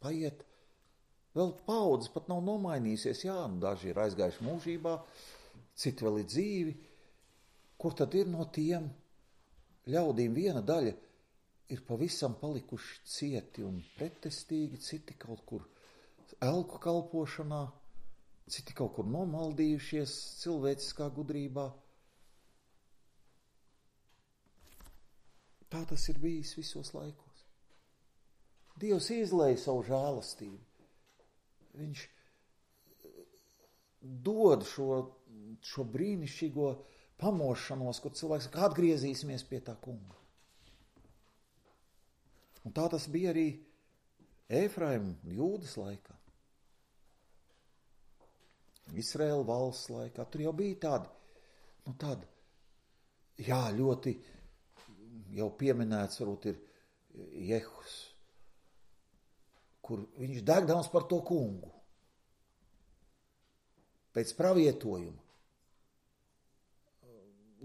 Paiet, vēl paudzes pat nav nomainījusies, jā, nu daži ir aizgājuši mūžībā, citi vēl ir dzīvi. Kur tad ir no tiem ļaudīm? Viena daļa ir pavisam palikuši cieti un pretestīgi, citi kaut kur elku kalpošanā, citi kaut kur nomaldījušies cilvēciskā gudrībā. Tā tas ir bijis visos laikos. Dievs izlēja savu žēlastību. Viņš dod šo, šo brīnišķīgo pamošanos, kur cilvēks saka, atgriezīsimies pie tā kunga. Un tā tas bija arī Efraima Jūdas laikā. Izraēla valsts laikā. Tur jau bija tādi, nu tādi, jā, ļoti jau pieminēts, varbūt ir Jehus, kur viņš degdams par to kungu. Pēc pravietojuma,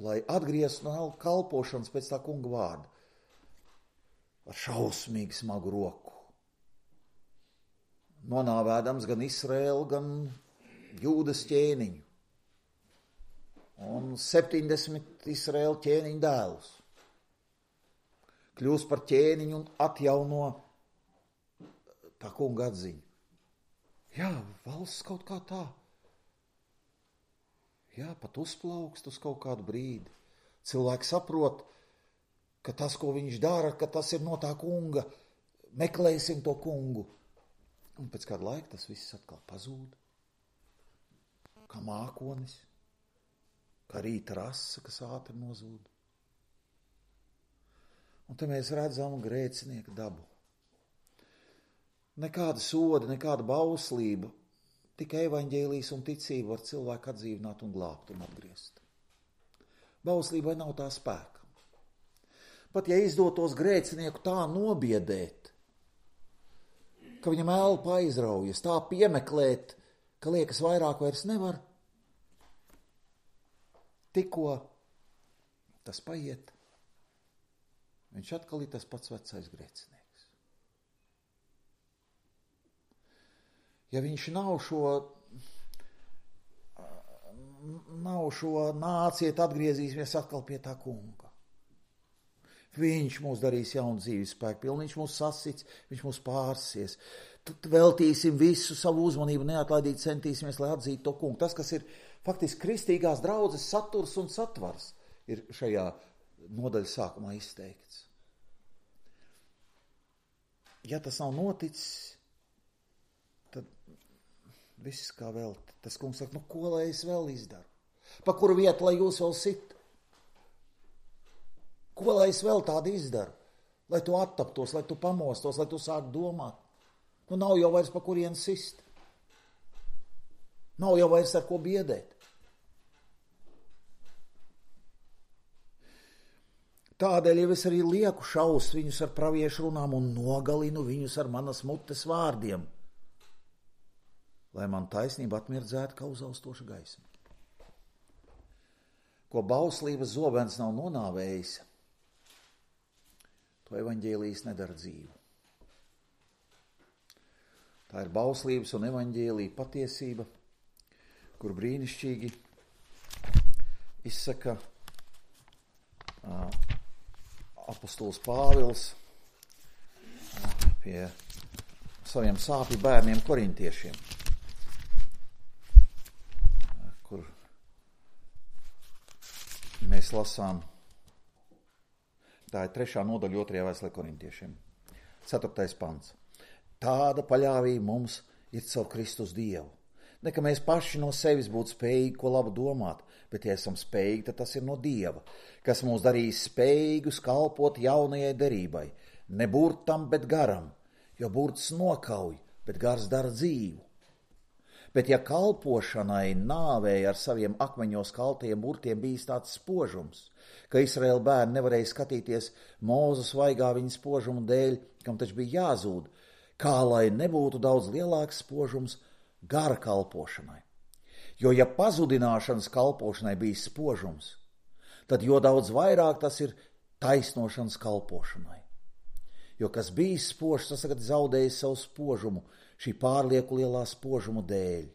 lai atgrieztu no kalpošanas pēc tā kunga vārda, ar šausmīgi smagu roku. Nonāvēdams gan Izraēlu, gan Jūdas ķēniņu. Un septiņdesmit Izraēla ķēniņu dēlus. Kļūst par ķēniņu un atjauno tā kunga atziņu. Jā, valsts kaut kā tā. Jā, pat uzplaukst uz kaut kādu brīdi. Cilvēki saprot, ka tas, ko viņš dara, ka tas ir no tā kunga. Meklēsim to kungu. Un pēc kāda laika tas viss atkal pazūd. Kā mākonis, kā rīta rasa, kas ātri nozūd. Un te mēs redzam grēcinieku dabu. Nekāda soda, nekāda bauslība, tikai evaņģēlijas un ticība var cilvēku atdzīvināt un glābt un atgriezt. Bauslībai nav tā spēka. Pat ja izdotos grēcinieku tā nobiedēt, ka viņam elpa aizraujas, tā piemeklēt, ka liekas vairāk vairs nevar, tikko tas paiet, viņš atkal ir tas pats vecais grēcinieks. Ja viņš nav šo, nav šo nāciet, atgriezīsimies atkal pie tā kunga. Viņš mūs darīs jaunu dzīves spēku pilnu, viņš mūs sasits, viņš mūs pārsies. Tad veltīsim visu savu uzmanību, neatlaidīt centīsimies, lai atzītu to kungu. Tas, kas ir faktiski kristīgās draudzes saturs un satvars, ir šajā nodaļas sākumā izteikts. Ja tas nav noticis, tad viss kā vēl. Tas kungs saka, nu ko lai es vēl izdaru? Pa kuru vietu, lai jūs vēl sit? Ko lai es vēl tādu izdaru? Lai tu attaptos, lai tu pamostos, lai tu sāk domāt. Nu nav jau vairs pa kurien sist. Nav jau vairs ar ko biedēt. Tādēļ jau es arī lieku šaust viņus ar praviešu runām un nogalinu viņus ar manas mutes vārdiem, lai man taisnība atmirdzētu kā uzaustoša gaisma. Ko bauslības zobens nav nonāvējis, to evaņģēlijas nedara dzīvu. Tā ir bauslības un evaņģēlija patiesība, kur brīnišķīgi izsaka uh, apostols Pāvils pie saviem sāpju bērniem korintiešiem, kur mēs lasām, tā ir trešā nodaļa otrajā vēstulē korintiešiem, ceturtais pants. Tāda paļāvība mums ir caur Kristus Dievu. Ne, ka mēs paši no sevis būtu spējīgi ko labu domāt, bet ja esam spējīgi, tad tas ir no Dieva, kas mūs darīs spējīgus kalpot jaunajai derībai, ne burtam, bet garam, jo burts nokauj, bet gars dara dzīvu. Bet ja kalpošanai nāvēja ar saviem akmeņos kaltajiem burtiem bijis tāds spožums, ka Izraēla bērni nevarēja skatīties Mūzes vaigā viņa spožumu dēļ, kam taču bija jāzūd, kā lai nebūtu daudz lielāks spožums gara kalpošanai. Jo ja pazudināšanas kalpošanai bija spožums, tad jo daudz vairāk tas ir taisnošanas kalpošanai. Jo kas bija spožs, tas tagad zaudējis savu spožumu šī pārlieku lielā spožuma dēļ.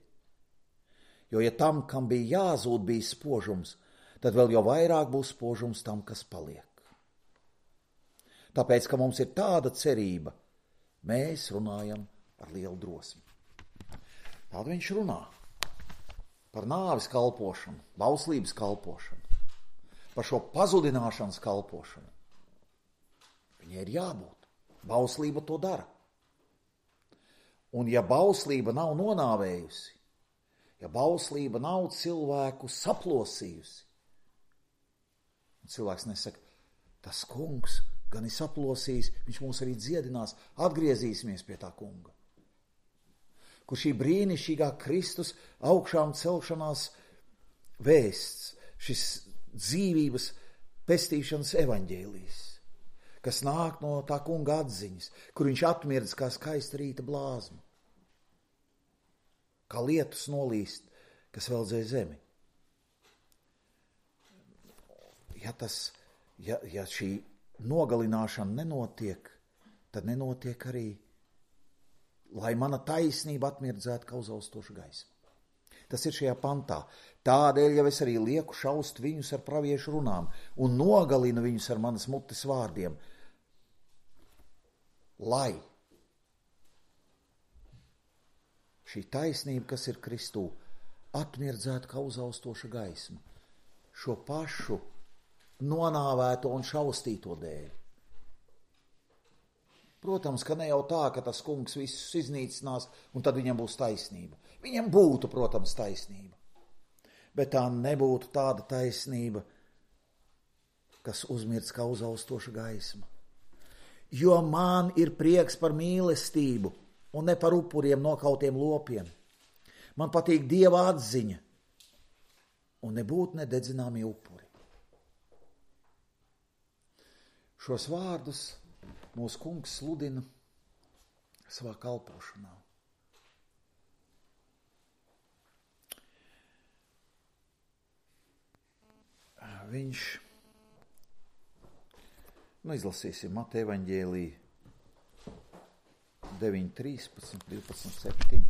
Jo ja tam, kam bija jāzūd, bija spožums, tad vēl jau vairāk būs spožums tam, kas paliek. Tāpēc, ka mums ir tāda cerība, mēs runājam ar lielu drosmi. Tāda viņš runā par nāves kalpošanu, bauslības kalpošanu, par šo pazudināšanas kalpošanu. Viņai ir jābūt. Bauslība to dara. Un ja bauslība nav nonāvējusi, ja bauslība nav cilvēku saplosījusi, un cilvēks nesaka, tas kungs gan ir saplosījis, viņš mūs arī dziedinās, atgriezīsimies pie tā kunga. Kur šī brīnišķīgā Kristus augšām celšanās vēsts, šis dzīvības pestīšanas evaņģēlijs, kas nāk no tā kunga atziņas, kur viņš atmirdz kā skaista rīta blāzma, kā lietus nolīst, kas veldzē zemi. Ja, tas, ja, ja šī nogalināšana nenotiek, tad nenotiek arī, lai mana taisnība atmirdzētu kā uzaustoša gaisma. Tas ir šajā pantā. Tādēļ jau es arī lieku šaust viņus ar praviešu runām un nogalinu viņus ar manas mutes vārdiem, lai šī taisnība, kas ir Kristū, atmirdzētu kā uzaustoša gaisma, šo pašu nonāvēto un šaustīto dēļ. Protams, ka ne jau tā, ka tas kungs visus iznīcinās un tad viņam būs taisnība. Viņam būtu, protams, taisnība, bet tā nebūtu tāda taisnība, kas uzmirds kā uzaustoša gaisma. Jo man ir prieks par mīlestību un ne par upuriem nokautiem lopiem. Man patīk Dieva atziņa un nebūt nededzināmi upuri. Šos vārdus mūsu kungs sludina savā kalpošanā. Viņš, nu izlasīsim Mateja evaņģēliju deviņi, trīspadsmit, divpadsmit, septiņi.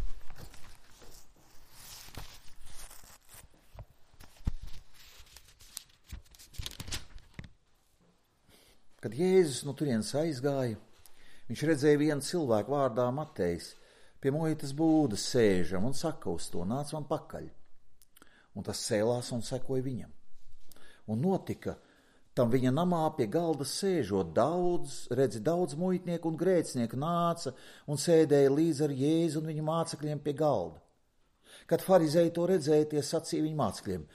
Kad Jēzus no turienes aizgāja, viņš redzēja vienu cilvēku vārdā Matejs pie muitas būdas sēžam un saka uz to, nāc man pakaļ. Un tas cēlās un sekoja viņam. Un notika tam viņa namā pie galda sēžot daudz, redzi, daudz muitnieku un grēcinieku nāca un sēdēja līdz ar Jēzu un viņa mācekļiem pie galda. Kad farizēji to redzēja, tie sacīja viņa mācekļiem,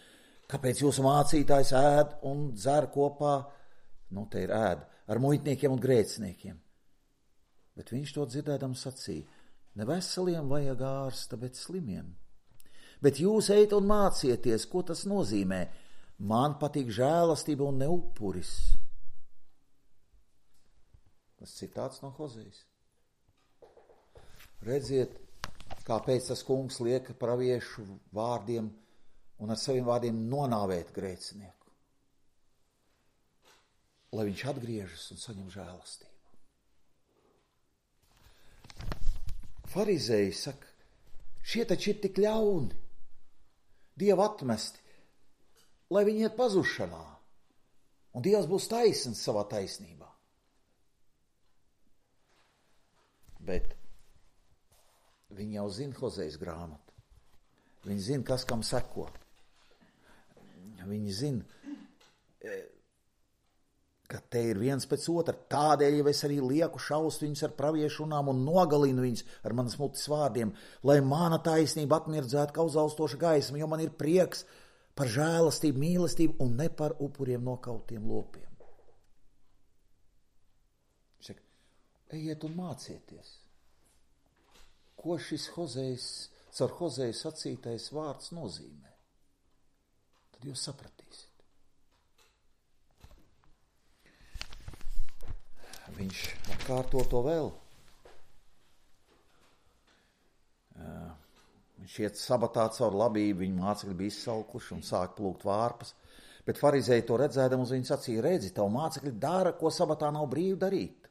kāpēc jūsu mācītājs ēd un dzer kopā, nu te ir ēd, ar muitniekiem un grēciniekiem. Bet viņš to dzirdēdams sacīja, ne veseliem vajag ārsta, bet slimiem. Bet jūs ejat un mācieties, ko tas nozīmē. Man patīk žēlastība un ne upuris. Tas citāts no Hozejas. Redziet, kāpēc tas kungs liek praviešu vārdiem un ar saviem vārdiem nonāvēt grēcinieku. Lai viņš atgriežas un saņem žēlastību. Farizēji saka, šie taču ir tik ļauni, Dieva atmesti, lai viņi iet pazušanā, un Dievs būs taisns savā taisnībā. Bet viņi jau zina Hozejas grāmatu. Viņi zina, kas kam seko. Viņi zina, ka te ir viens pēc otra. Tādēļ jau es arī lieku šaust viņus ar praviešu runām un nogalinu viņus ar manas mutes vārdiem, lai mana taisnība atmirdzētu kā uzaustoša gaisma, jo man ir prieks par žēlastību, mīlestību un ne par upuriem nokautiem lopiem. Viņš saka, ejiet un mācieties, ko šis Hozejas, caur Hozeju sacītais vārds nozīmē. Tad jūs sapratīsiet. Viņš atkārto to vēl. Viņš iet sabatā caur labību, viņa mācekļi bija izsalkuši un sāk plūkt vārpas, bet farizēji to redzēdam uz viņu sacīja, redzi, tavu mācekļi dara, ko sabatā nav brīvi darīt.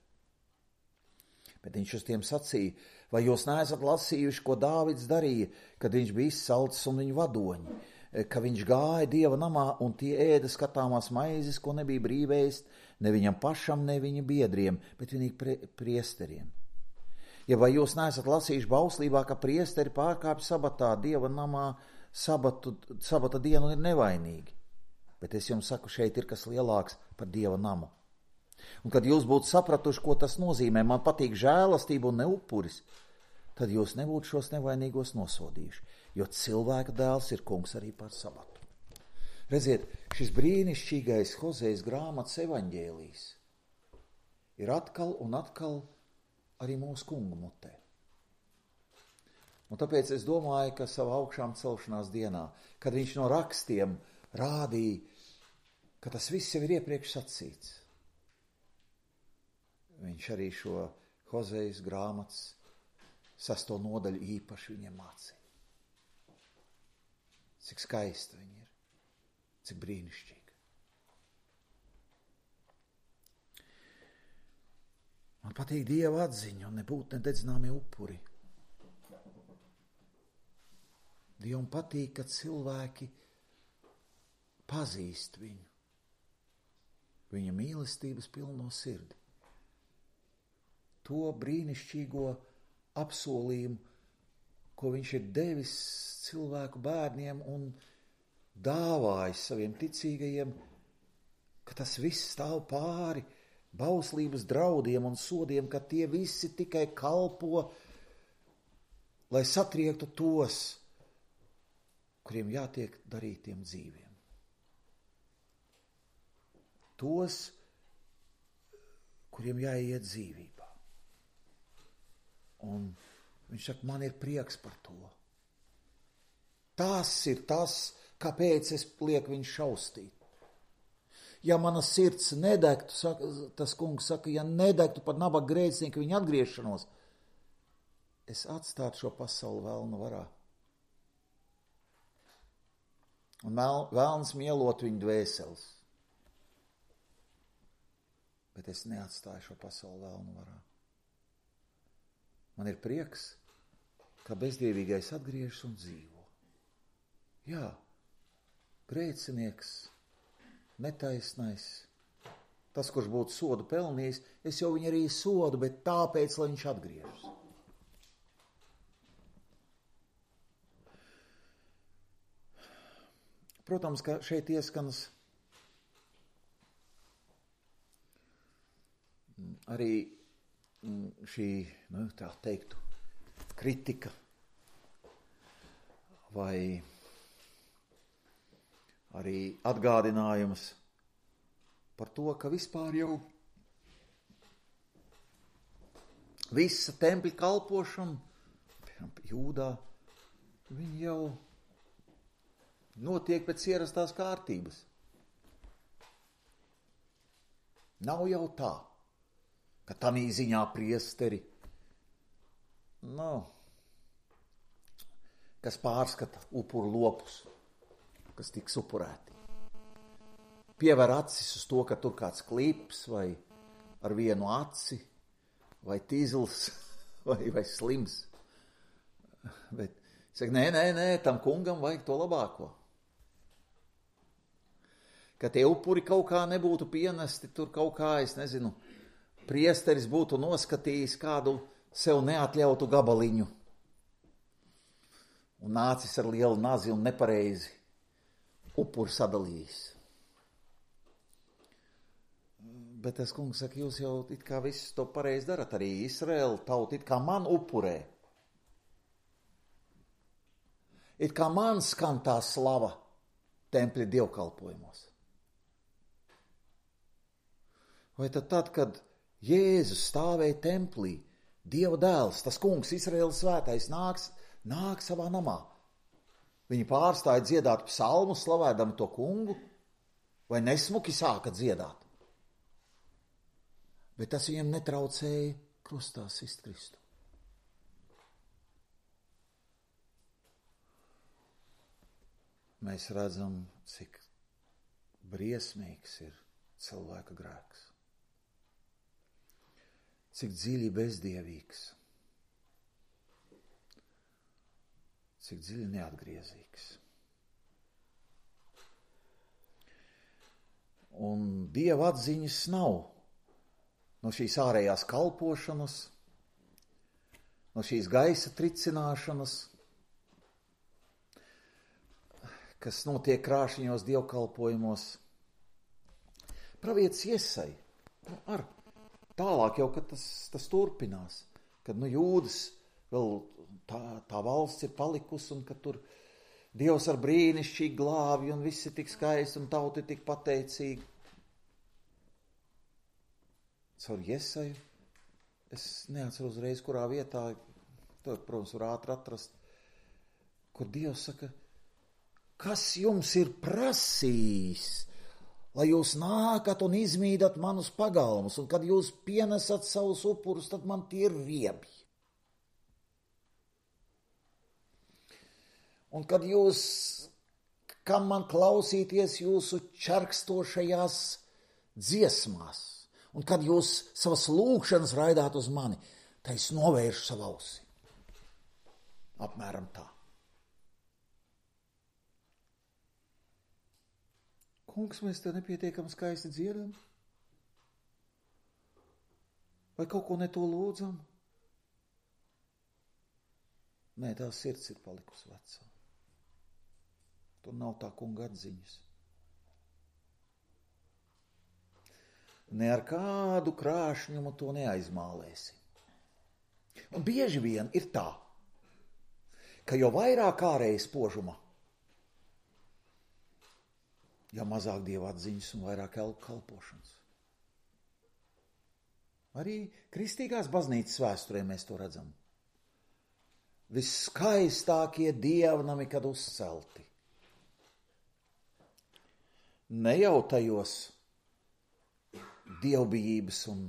Bet viņš uz tiem sacīja, vai jūs neesat lasījuši, ko Dāvids darīja, kad viņš bija izsalcis un viņa vadoņi, ka viņš gāja Dieva namā un tie ēda skatāmās maizes, ko nebija brīvēst, ne viņam pašam, ne viņa biedriem, bet vienīgi pre, priesteriem. Ja vai jūs neesat lasījuši bauslībā, ka priesteri pārkāpj sabatā Dieva namā, sabatu, sabata dienu ir nevainīgi. Bet es jums saku, šeit ir kas lielāks par Dieva namu. Un kad jūs būtu sapratuši, ko tas nozīmē, man patīk žēlastība un ne upuris, tad jūs nebūtu šos nevainīgos nosodījuši, jo cilvēka dēls ir kungs arī par sabatu. Redziet, šis brīnišķīgais Hozejas grāmatas evaņģēlijs ir atkal un atkal arī mūsu kungu mutē. Un tāpēc es domāju, ka savā augšām celšanās dienā, kad viņš no rakstiem rādīja, ka tas viss jau ir iepriekš sacīts, viņš arī šo Hozejas grāmatas sesto nodaļu īpaši viņiem mācīja. Cik skaista viņa ir, cik brīnišķīga. Man patīk Dieva atziņa un nebūt nededzināmie upuri. Dievam patīk, ka cilvēki pazīst viņu, viņa mīlestības pilno sirdi. To brīnišķīgo apsolījumu, ko viņš ir devis cilvēku bērniem un dāvājis saviem ticīgajiem, ka tas viss stāv pāri bauslības draudiem un sodiem, ka tie visi tikai kalpo, lai satriektu tos, kuriem jātiek darītiem dzīviem. Tos, kuriem jāiet dzīvībā. Un viņš saka, man ir prieks par to. Tas ir tas, kāpēc es lieku viņu šaustīt. Ja mana sirds nedegtu, saka, tas kungs saka, ja nedegtu par nabaga grēcinieku viņa atgriešanos, es atstātu šo pasauli velna varā. Un vēlns mielot viņu dvēseles. Bet es neatstāju šo pasauli velna varā. Man ir prieks, ka bezdievīgais atgriežas un dzīvo. Jā, grēcinieks, netaisnais, tas, kurš būtu sodu pelnījis, es jau viņu arī sodu, bet tāpēc, lai viņš atgriežas. Protams, ka šeit ieskanas arī šī, nu, tā teiktu, kritika vai arī atgādinājums par to, ka vispār jau visa tempļa kalpošana, piemēram, Jūdā, viņi jau notiek pēc ierastās kārtības. Nav jau tā, ka tamī ziņā priesteri, nu, kas pārskata upuru lopus, kas tiks upurēti. Piever acis uz to, ka tur kāds klips vai ar vienu aci, vai tīzls, vai, vai slims. Bet, saka, nē, nē, nē, tam kungam vajag to labāko. Ka tie upuri kaut kā nebūtu pienesti, tur kaut kā, es nezinu, priesteris būtu noskatījis kādu sev neatļautu gabaliņu un nācis ar lielu nazi un nepareizi upuri sadalījis. Bet tas kungs saka, jūs jau it kā visu to pareizi darat, arī Izraēla tauta it kā man upurē. It kā man skan tā slava tempļa dievkalpojumos. Vai tad tad, kad Jēzus stāvēja templī, Dieva dēls, tas kungs, Izraēlas svētais, nāks, nāk savā namā. Viņi pārstāja dziedāt psalmu, slavēdami to kungu, vai nesmuki sāka dziedāt. Bet tas viņiem netraucēja krustā sist Kristu. Mēs redzam, cik briesmīgs ir cilvēka grēks. Cik dziļi bezdievīgs, cik dziļi neatgriezīgs. Un Dieva atziņas nav no šīs ārējās kalpošanas, no šīs gaisa tricināšanas, kas notiek krāšņos dievkalpojumos. Pravietis Jesai Nu, ar tālāk jau, kad tas, tas turpinās, kad nu Jūdas vēl tā, tā valsts ir palikusi un kad tur Dievs ar brīnišķīgi glābi un viss ir tik skaisti un tauti ir tik pateicīgi. Caur Jesaju, es neatceru uzreiz, kurā vietā, to, protams, var ātri atrast, kur Dievs saka, kas jums ir prasījis, lai jūs nākat un izmīdat manus pagalmus, un kad jūs pienesat savus upurus, tad man tie ir riebi. Un kad jūs, kam man klausīties jūsu čarkstošajās dziesmās, un kad jūs savas lūgšanas raidāt uz mani, tad es novēršu savu ausi. Apmēram tā. Kungs, mēs te nepietiekam skaisti dziedam? Vai kaut ko ne to lūdzam? Nē, tā sirds ir palikusi vecā. Tur nav tā kunga atziņas. Ne ar kādu krāšņumu to neaizmālēsi. Un bieži vien ir tā, ka jo vairāk ārējas spožuma, jo mazāk Dieva atziņas un vairāk kalpošanas. Arī kristīgās baznīcas vēsturē mēs to redzam. Viskaistākie dievnami, kad uzcelti. Ne jau tajos dievbijības un,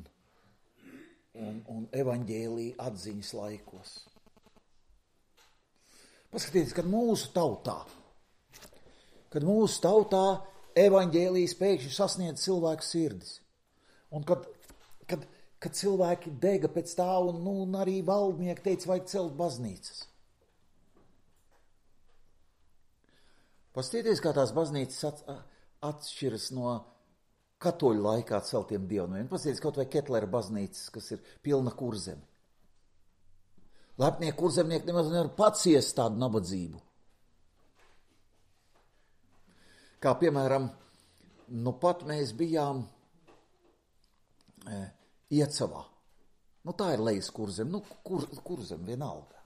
un, un evaņģēlija atziņas laikos. Paskatieties, kad mūsu tautā, kad mūsu tautā evaņģēlijas pēkšņi sasniedz cilvēku sirdis, un kad, kad, kad cilvēki dega pēc tā, un, nu, un arī valdnieki teica, vajag celt baznīcas. Paskatieties, kā tās baznīcas at, atšķiras no katoļu laikā celtiem dievnamiem. Paskatieties, kaut vai Ketlera baznīcas, kas ir pilna kurzeme. Lepnie kurzemnieki nemaz nevar paciest tādu nabadzību. Kā piemēram, nu pat mēs bijām e, Iecavā. Nu tā ir lejas kurzem, nu kur, kurzem vienalga.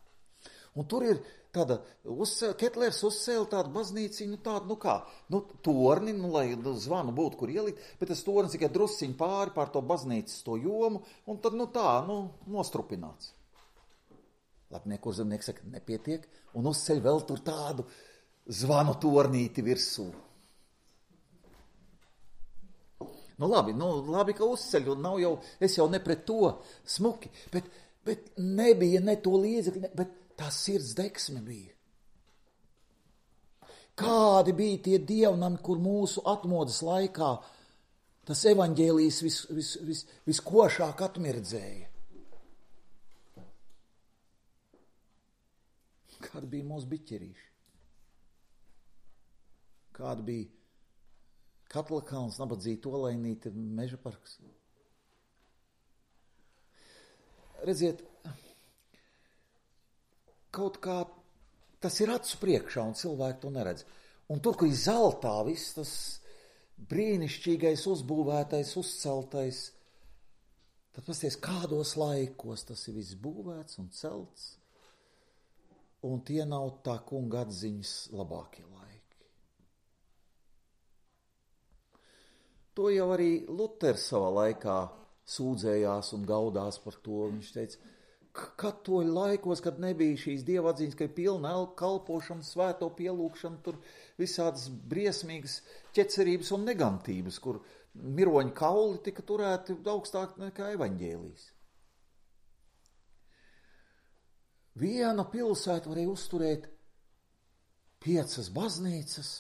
Un tur ir tāda, uzcēl, Ketlers uzcēla tādu baznīciņu, nu tādu, nu kā, nu torni, nu lai zvanu būtu, kur ielikt, bet tas tornis tikai drusciņ pāri pār to baznīcas to jomu, un tad, nu tā, nu, nostrupināts. Lepnie kurzemnieki saka, nepietiek, un uzceļ vēl tur tādu zvanu tornīti virsū. Nu labi, nu labi, ka uzceļ, un nav jau, es jau ne pret to smuki, bet, bet nebija ne to līdzekļi, ne, bet tā sirds deksme bija. Kādi bija tie dievnami, kur mūsu atmodas laikā tas evaņģēlijs vis, vis, vis, viskošāk atmirdzēja? Kādi bija mūsu biķerīši? Kādi bija Katlakāns, Nabadzīta Olainīte, Meža parks? Redziet, kaut kā tas ir acu priekšā, un cilvēki to neredz. Un tur, kur ir zeltā viss tas brīnišķīgais, uzbūvētais, uzceltais, tad pasties, kādos laikos tas ir viss būvēts un celts, un tie nav tā kunga atziņas labākie laiki. To jau arī Luters savā laikā sūdzējās un gaudās par to. Viņš teica, katoļu laikos, kad nebija šīs dieva atziņas, ka ir pilna kalpošana, svēto pielūgšana, tur visādas briesmīgas ķecerības un negantības, kur miroņu kauli tika turēti augstāk nekā evaņģēlijs. Viena pilsēta varēja uzturēt piecas baznīcas,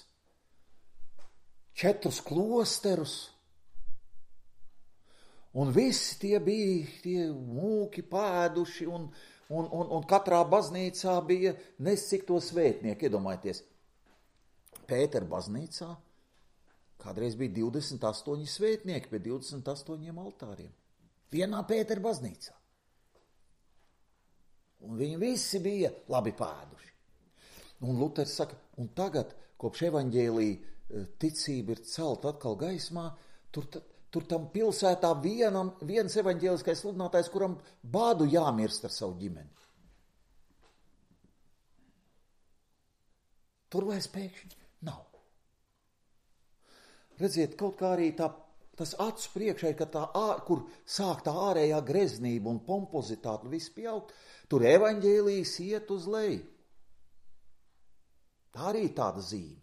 četrus klosterus, un visi tie bija tie mūki pēduši, un, un, un, un katrā baznīcā bija nescik to svētnieku. Iedomājieties, Pētera baznīcā kādreiz bija divdesmit astoņi svētnieki pie divdesmit astoņiem altāriem. Vienā Pētera baznīcā. Un viņi visi bija labi pēduši. Un Luters saka, un tagad, kopš evaņģēlija ticība ir celta atkal gaismā, tur, tur tam pilsētā vienam, viens evaņģēliskais sludinātājs, kuram bādu jāmirst ar savu ģimeni. Tur vairs pēkšņi nav. Redziet, kaut kā arī tā, tas acu priekšā, ka tā, kur sāk tā ārējā greznība un pompozitāte un viss pieaugt, tur evaņģēlijas iet uz leju. Tā arī tāda zīme.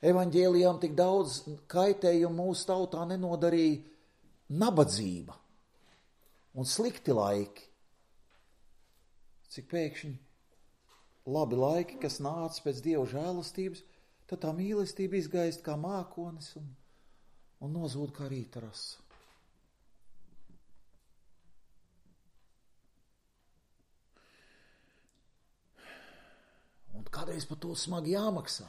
Evaņģēlijām tik daudz kaitējumu mūsu tautā nenodarīja nabadzība un slikti laiki. Cik pēkšņi labi laiki, kas nāca pēc Dieva žēlastības, tad tā mīlestība izgaist kā mākonis un, un nozūd kā rīta rasa. Un kādreiz par to smagi jāmaksā.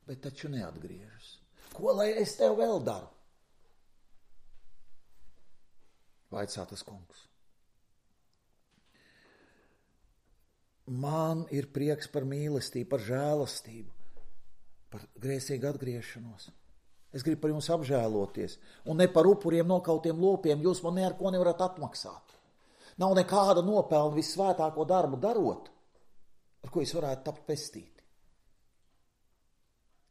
Bet taču neatgriežas. Ko lai es tev vēl daru? Vaicā tas kungs. Man ir prieks par mīlestību, par žēlastību, par grēcīgu atgriešanos. Es gribu par jums apžēloties, un ne par upuriem nokautiem lopiem jūs man ne ar ko nevarat atmaksāt. Nav nekāda nopelna vissvētāko darbu darot, ar ko es varētu tapt pestīti.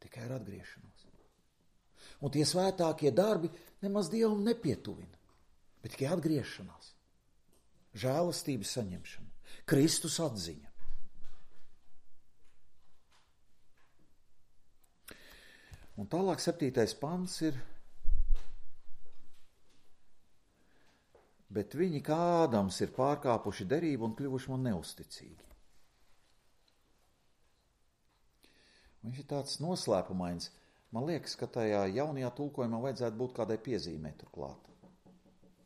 Tikai ar atgriešanos. Un tie svētākie darbi nemaz Dievam nepietuvina, bet tikai atgriešanās, žēlastības saņemšana, Kristus atziņa. Un tālāk septītais pants ir: bet viņi kā Ādams ir pārkāpuši derību un kļuvuši man neusticīgi. Viņš ir tāds noslēpumains. Man liekas, ka tajā jaunajā tulkojumā vajadzētu būt kādai piezīmē turklāt.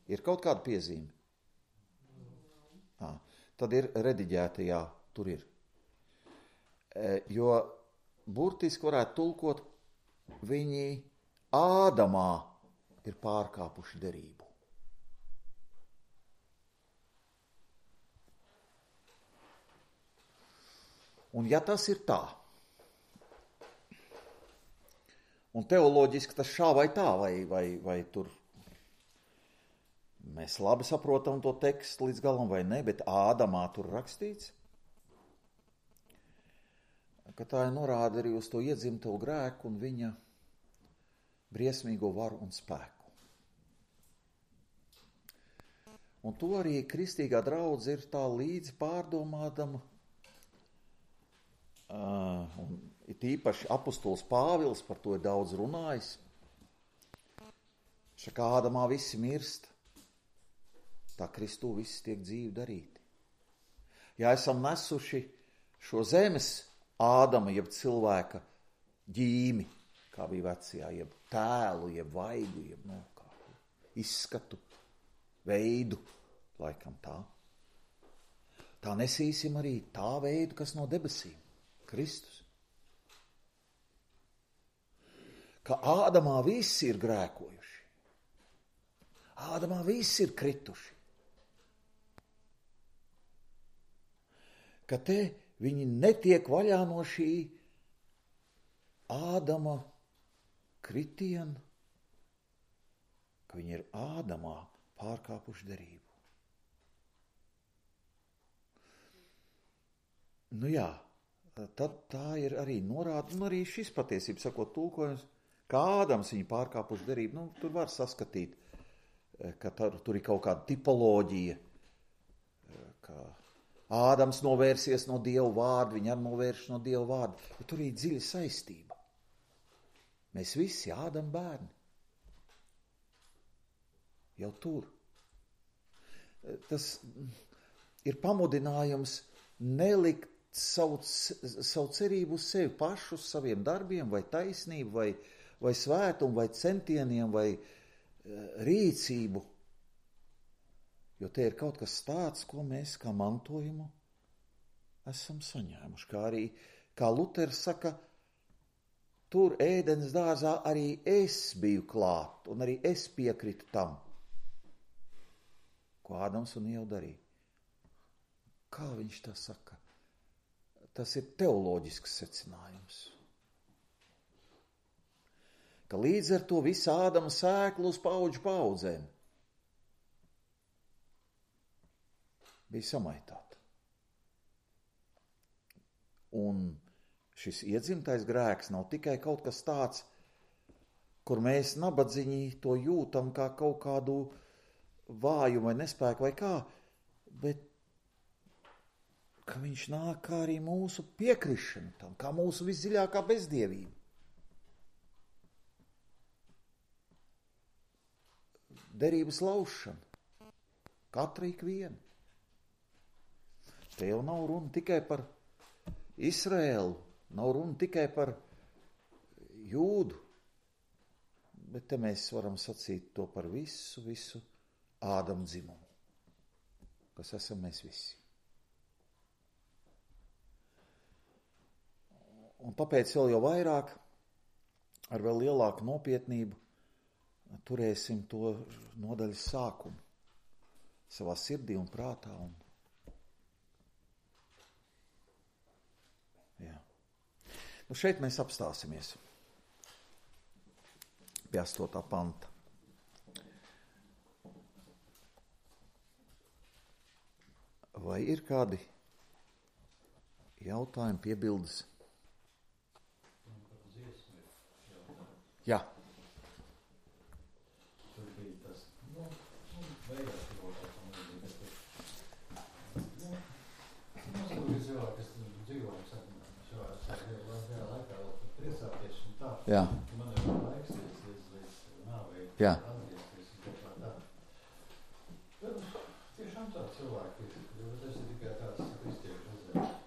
Ir kaut kāda piezīme? À, tad ir rediģētajā, tur ir. E, jo burtiski varētu tulkot, viņi Ādamā ir pārkāpuši derību. Un ja tas ir tā, un teoloģiski tas šā vai tā, vai, vai, vai tur mēs labi saprotam to tekstu līdz galam vai ne, bet Ādamā tur rakstīts, ka tā ir norāda arī uz to iedzimto grēku un viņa briesmīgo varu un spēku. Un to arī kristīgā draudze ir tā līdz pārdomādama, uh, un it īpaši apostols Pāvils par to ir daudz runājis. Šakā Ādamā visi mirst, tā Kristū visi tiek dzīvi darīti. Ja esam nesuši šo zemes Ādama, jeb cilvēka ģīmi, kā bija vecajā, jeb tēlu, jeb vaigu, jeb no kā, izskatu, veidu, laikam tā. Tā nesīsim arī tā veidu, kas no debesīm, Kristus. Ka Ādamā visi ir grēkojuši. Ādamā visi ir krituši. Ka te viņi netiek vaļā no šī Ādama kritiena, ka viņi ir Ādamā pārkāpuši derību. Nu jā, tad tā ir arī norāda, un arī šis patiesība sakot tulkojums, kā Ādams viņu pārkāpuši derību. Nu, tur var saskatīt, ka tur, tur ir kaut kāda tipoloģija, ka Ādams novērsies no Dieva vārda, viņa arī novērš no Dieva vārda, bet tur ir dziļa saistība. Mēs visi Ādam bērni. Jau tur. Tas ir pamudinājums nelikt savu, savu cerību uz sevi pašu, uz saviem darbiem, vai taisnību, vai, vai svētumu, vai centieniem, vai rīcību. Jo te ir kaut kas tāds, ko mēs kā mantojumu esam saņēmuši. Kā arī, kā Luters saka, tur ēdens dārzā arī es biju klāt, un arī es piekritu tam, ko Ādams un Ieva darīja. Kā viņš tā saka? Tas ir teoloģisks secinājums. ka līdz ar to visa Ādama sēkla uz paudžu paudzēm bija samaitāta. Un šis iedzimtais grēks nav tikai kaut kas tāds, kur mēs nabadziņi to jūtam kā kaut kādu vājumu vai nespēku vai kā, bet ka viņš nāk kā arī mūsu piekrišana tam, kā mūsu visdziļākā bezdievība. Derības laušana. Katra ikviena. Te jau nav runa tikai par Izraēlu, nav runa tikai par Jūdu, bet te mēs varam sacīt to par visu, visu Ādama dzimumu, kas esam mēs visi. Un tāpēc vēl jau vairāk, ar vēl lielāku nopietnību, turēsim to nodaļas sākumu savā sirdī un prātā. Un... Jā. Nu šeit mēs apstāsimies pie astotā panta. Vai ir kādi jautājumi, piebildes? Jā. Tur bija tas, nu, beigās kaut kā tam līdzīgi, bet, nu, mums tur ir cilvēki, kas dzīvo, šajā, šajā laikā vēl priecāties un tā. Jā. Man ir laiks līdz, līdz nāvei atgriezties un kaut kā tā. Bet tiešām tā cilvēki, jo tas ir tikai tāds kristiešu uzdevums.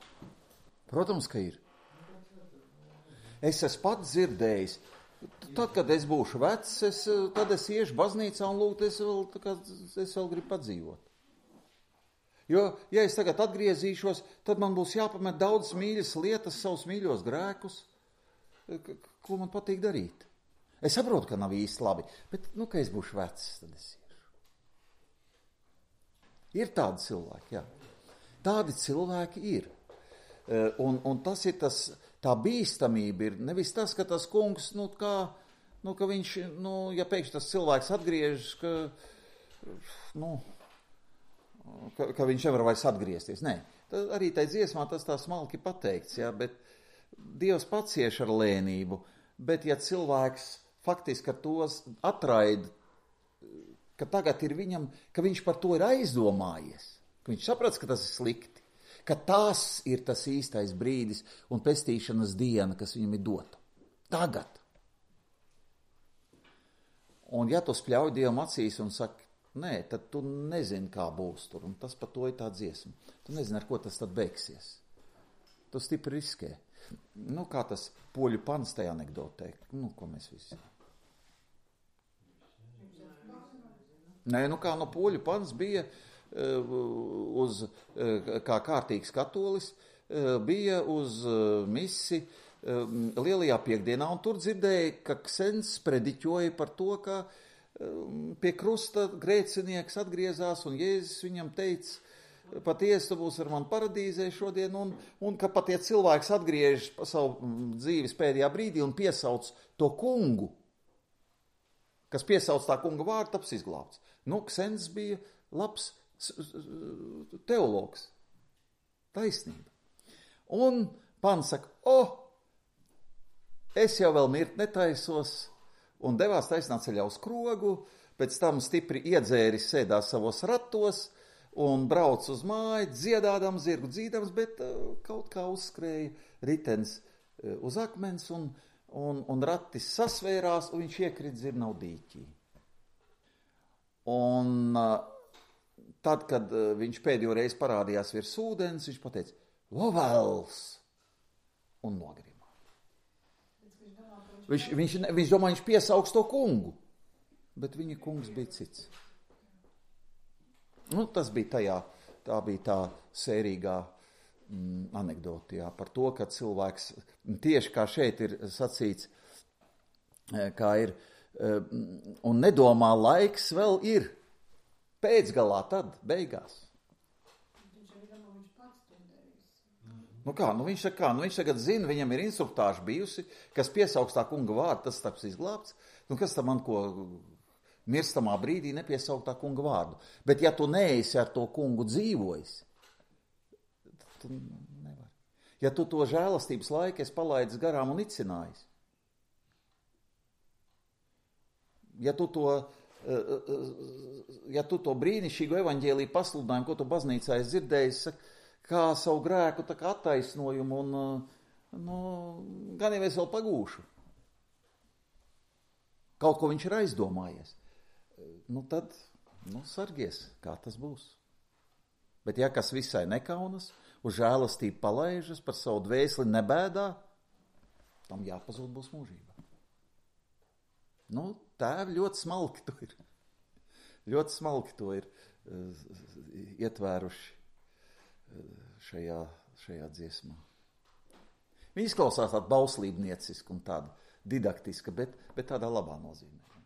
Protams, ka ir. Es esmu pats dzirdējis. Tad, kad es būšu vecs, es, tad es iešu baznīcā un lūgt, es vēl, kā, es vēl gribu padzīvot. Jo, ja es tagad atgriezīšos, tad man būs jāpamet daudz mīļas lietas, savus mīļos grēkus, ko man patīk darīt. Es saprotu, ka nav īsti labi, bet, nu, ka es būšu vecs, tad es iešu. Ir tādi cilvēki, jā. Tādi cilvēki ir. Un, un tas ir tas... Tā bīstamība ir nevis tas, ka tas kungs, nu, kā, nu, ka viņš, nu, ja pēkšņi tas cilvēks atgriežas, ka, nu, ka, ka viņš nevar vairs atgriezties. Nē, tad arī tai dziesmā tas tā smalki pateikts, jā, bet Dievs pats cieš ar lēnību, bet ja cilvēks faktiski ar tos atraida, ka tagad ir viņam, ka viņš par to ir aizdomājies, ka viņš saprats, ka tas ir slikti, ka tas ir tas īstais brīdis un pestīšanas diena, kas viņam ir dota. Tagad. Un ja tu spļauj Dievam acīs un saki, nē, tad tu nezini, kā būs tur, un tas par to ir tā dziesma. Tu nezini, ar ko tas tad beigsies. Tu stipri riskē. Nu, kā tas poļu pants tajā anekdotē. Nu, ko mēs visi. Nē, nu kā no poļu pants bija... uz, kā kārtīgs katolis, bija uz misi lielajā piekdienā, un tur dzirdēja, ka ksens prediķoja par to, ka pie krusta grēcinieks atgriezās, un Jēzus viņam teica, patiesi tu būsi ar mani paradīzē šodien, un, un ka pat ja cilvēks atgriežas pa savu dzīves pēdējā brīdī un piesauc to kungu, kas piesauc tā kunga vārdu, taps izglābts. Nu, ksens bija labs teologs. Taisnība. Un pants saka, o, es jau vēl mirt netaisos, un devās taisnā ceļā uz Krogu, pēc tam stipri iedzēris sēdās savos ratos, un brauc uz māju, dziedādams, zirgu dzīdams, bet uh, kaut kā uzskrēja ritens uh, uz akmens, un, un, un ratis sasvērās, un viņš iekrit zirnavu dīķī. Un uh, tad, kad uh, viņš pēdējo reizi parādījās virs ūdens, viņš pateica, Lovels! Un nogrimā. Viņš, viņš, viņš domā, viņš piesauks to kungu, bet viņa kungs bija cits. Nu, tas bija tajā, tā bija tā sērīgā mm, anekdoti, jā, par to, ka cilvēks, tieši kā šeit ir sacīts, kā ir, un nedomā laiks vēl ir pēcgalā tad, beigās. Viņš arī domā, viņš pats to darīs. Nu kā, nu viņš saka kā, nu viņš tagad zina, viņam ir instruktāža bijusi, kas piesauks tā kunga vārdu, tas taps izglābts. Nu kas tam man ko mirstamā brīdī nepiesaukt tā kunga vārdu. Bet ja tu neesi ar to kungu dzīvojis, tad tu nevari. Ja tu to žēlastības laiku esi palaidis garām un icinājis, ja tu to, ja tu to brīnišķīgu evaņģēliju pasludinājumu, ko tu baznīcā esi dzirdējis, kā savu grēku tā kā attaisnojumu un, nu, gan jau es vēl pagūšu. Kaut ko viņš ir aizdomājies. Nu tad, nu sargies, kā tas būs. Bet ja kas visai nekaunas, uz žēlastību palaižas, par savu dvēseli nebēdā, tam jāpazūd būs mūžība. Nu, tēvi ļoti smalki to ir. Ļoti smalki to ir uh, ietvēruši šajā, šajā dziesmā. Viņa izklausās tāda bauslībnieciska un tāda didaktiska, bet, bet tādā labā nozīmē.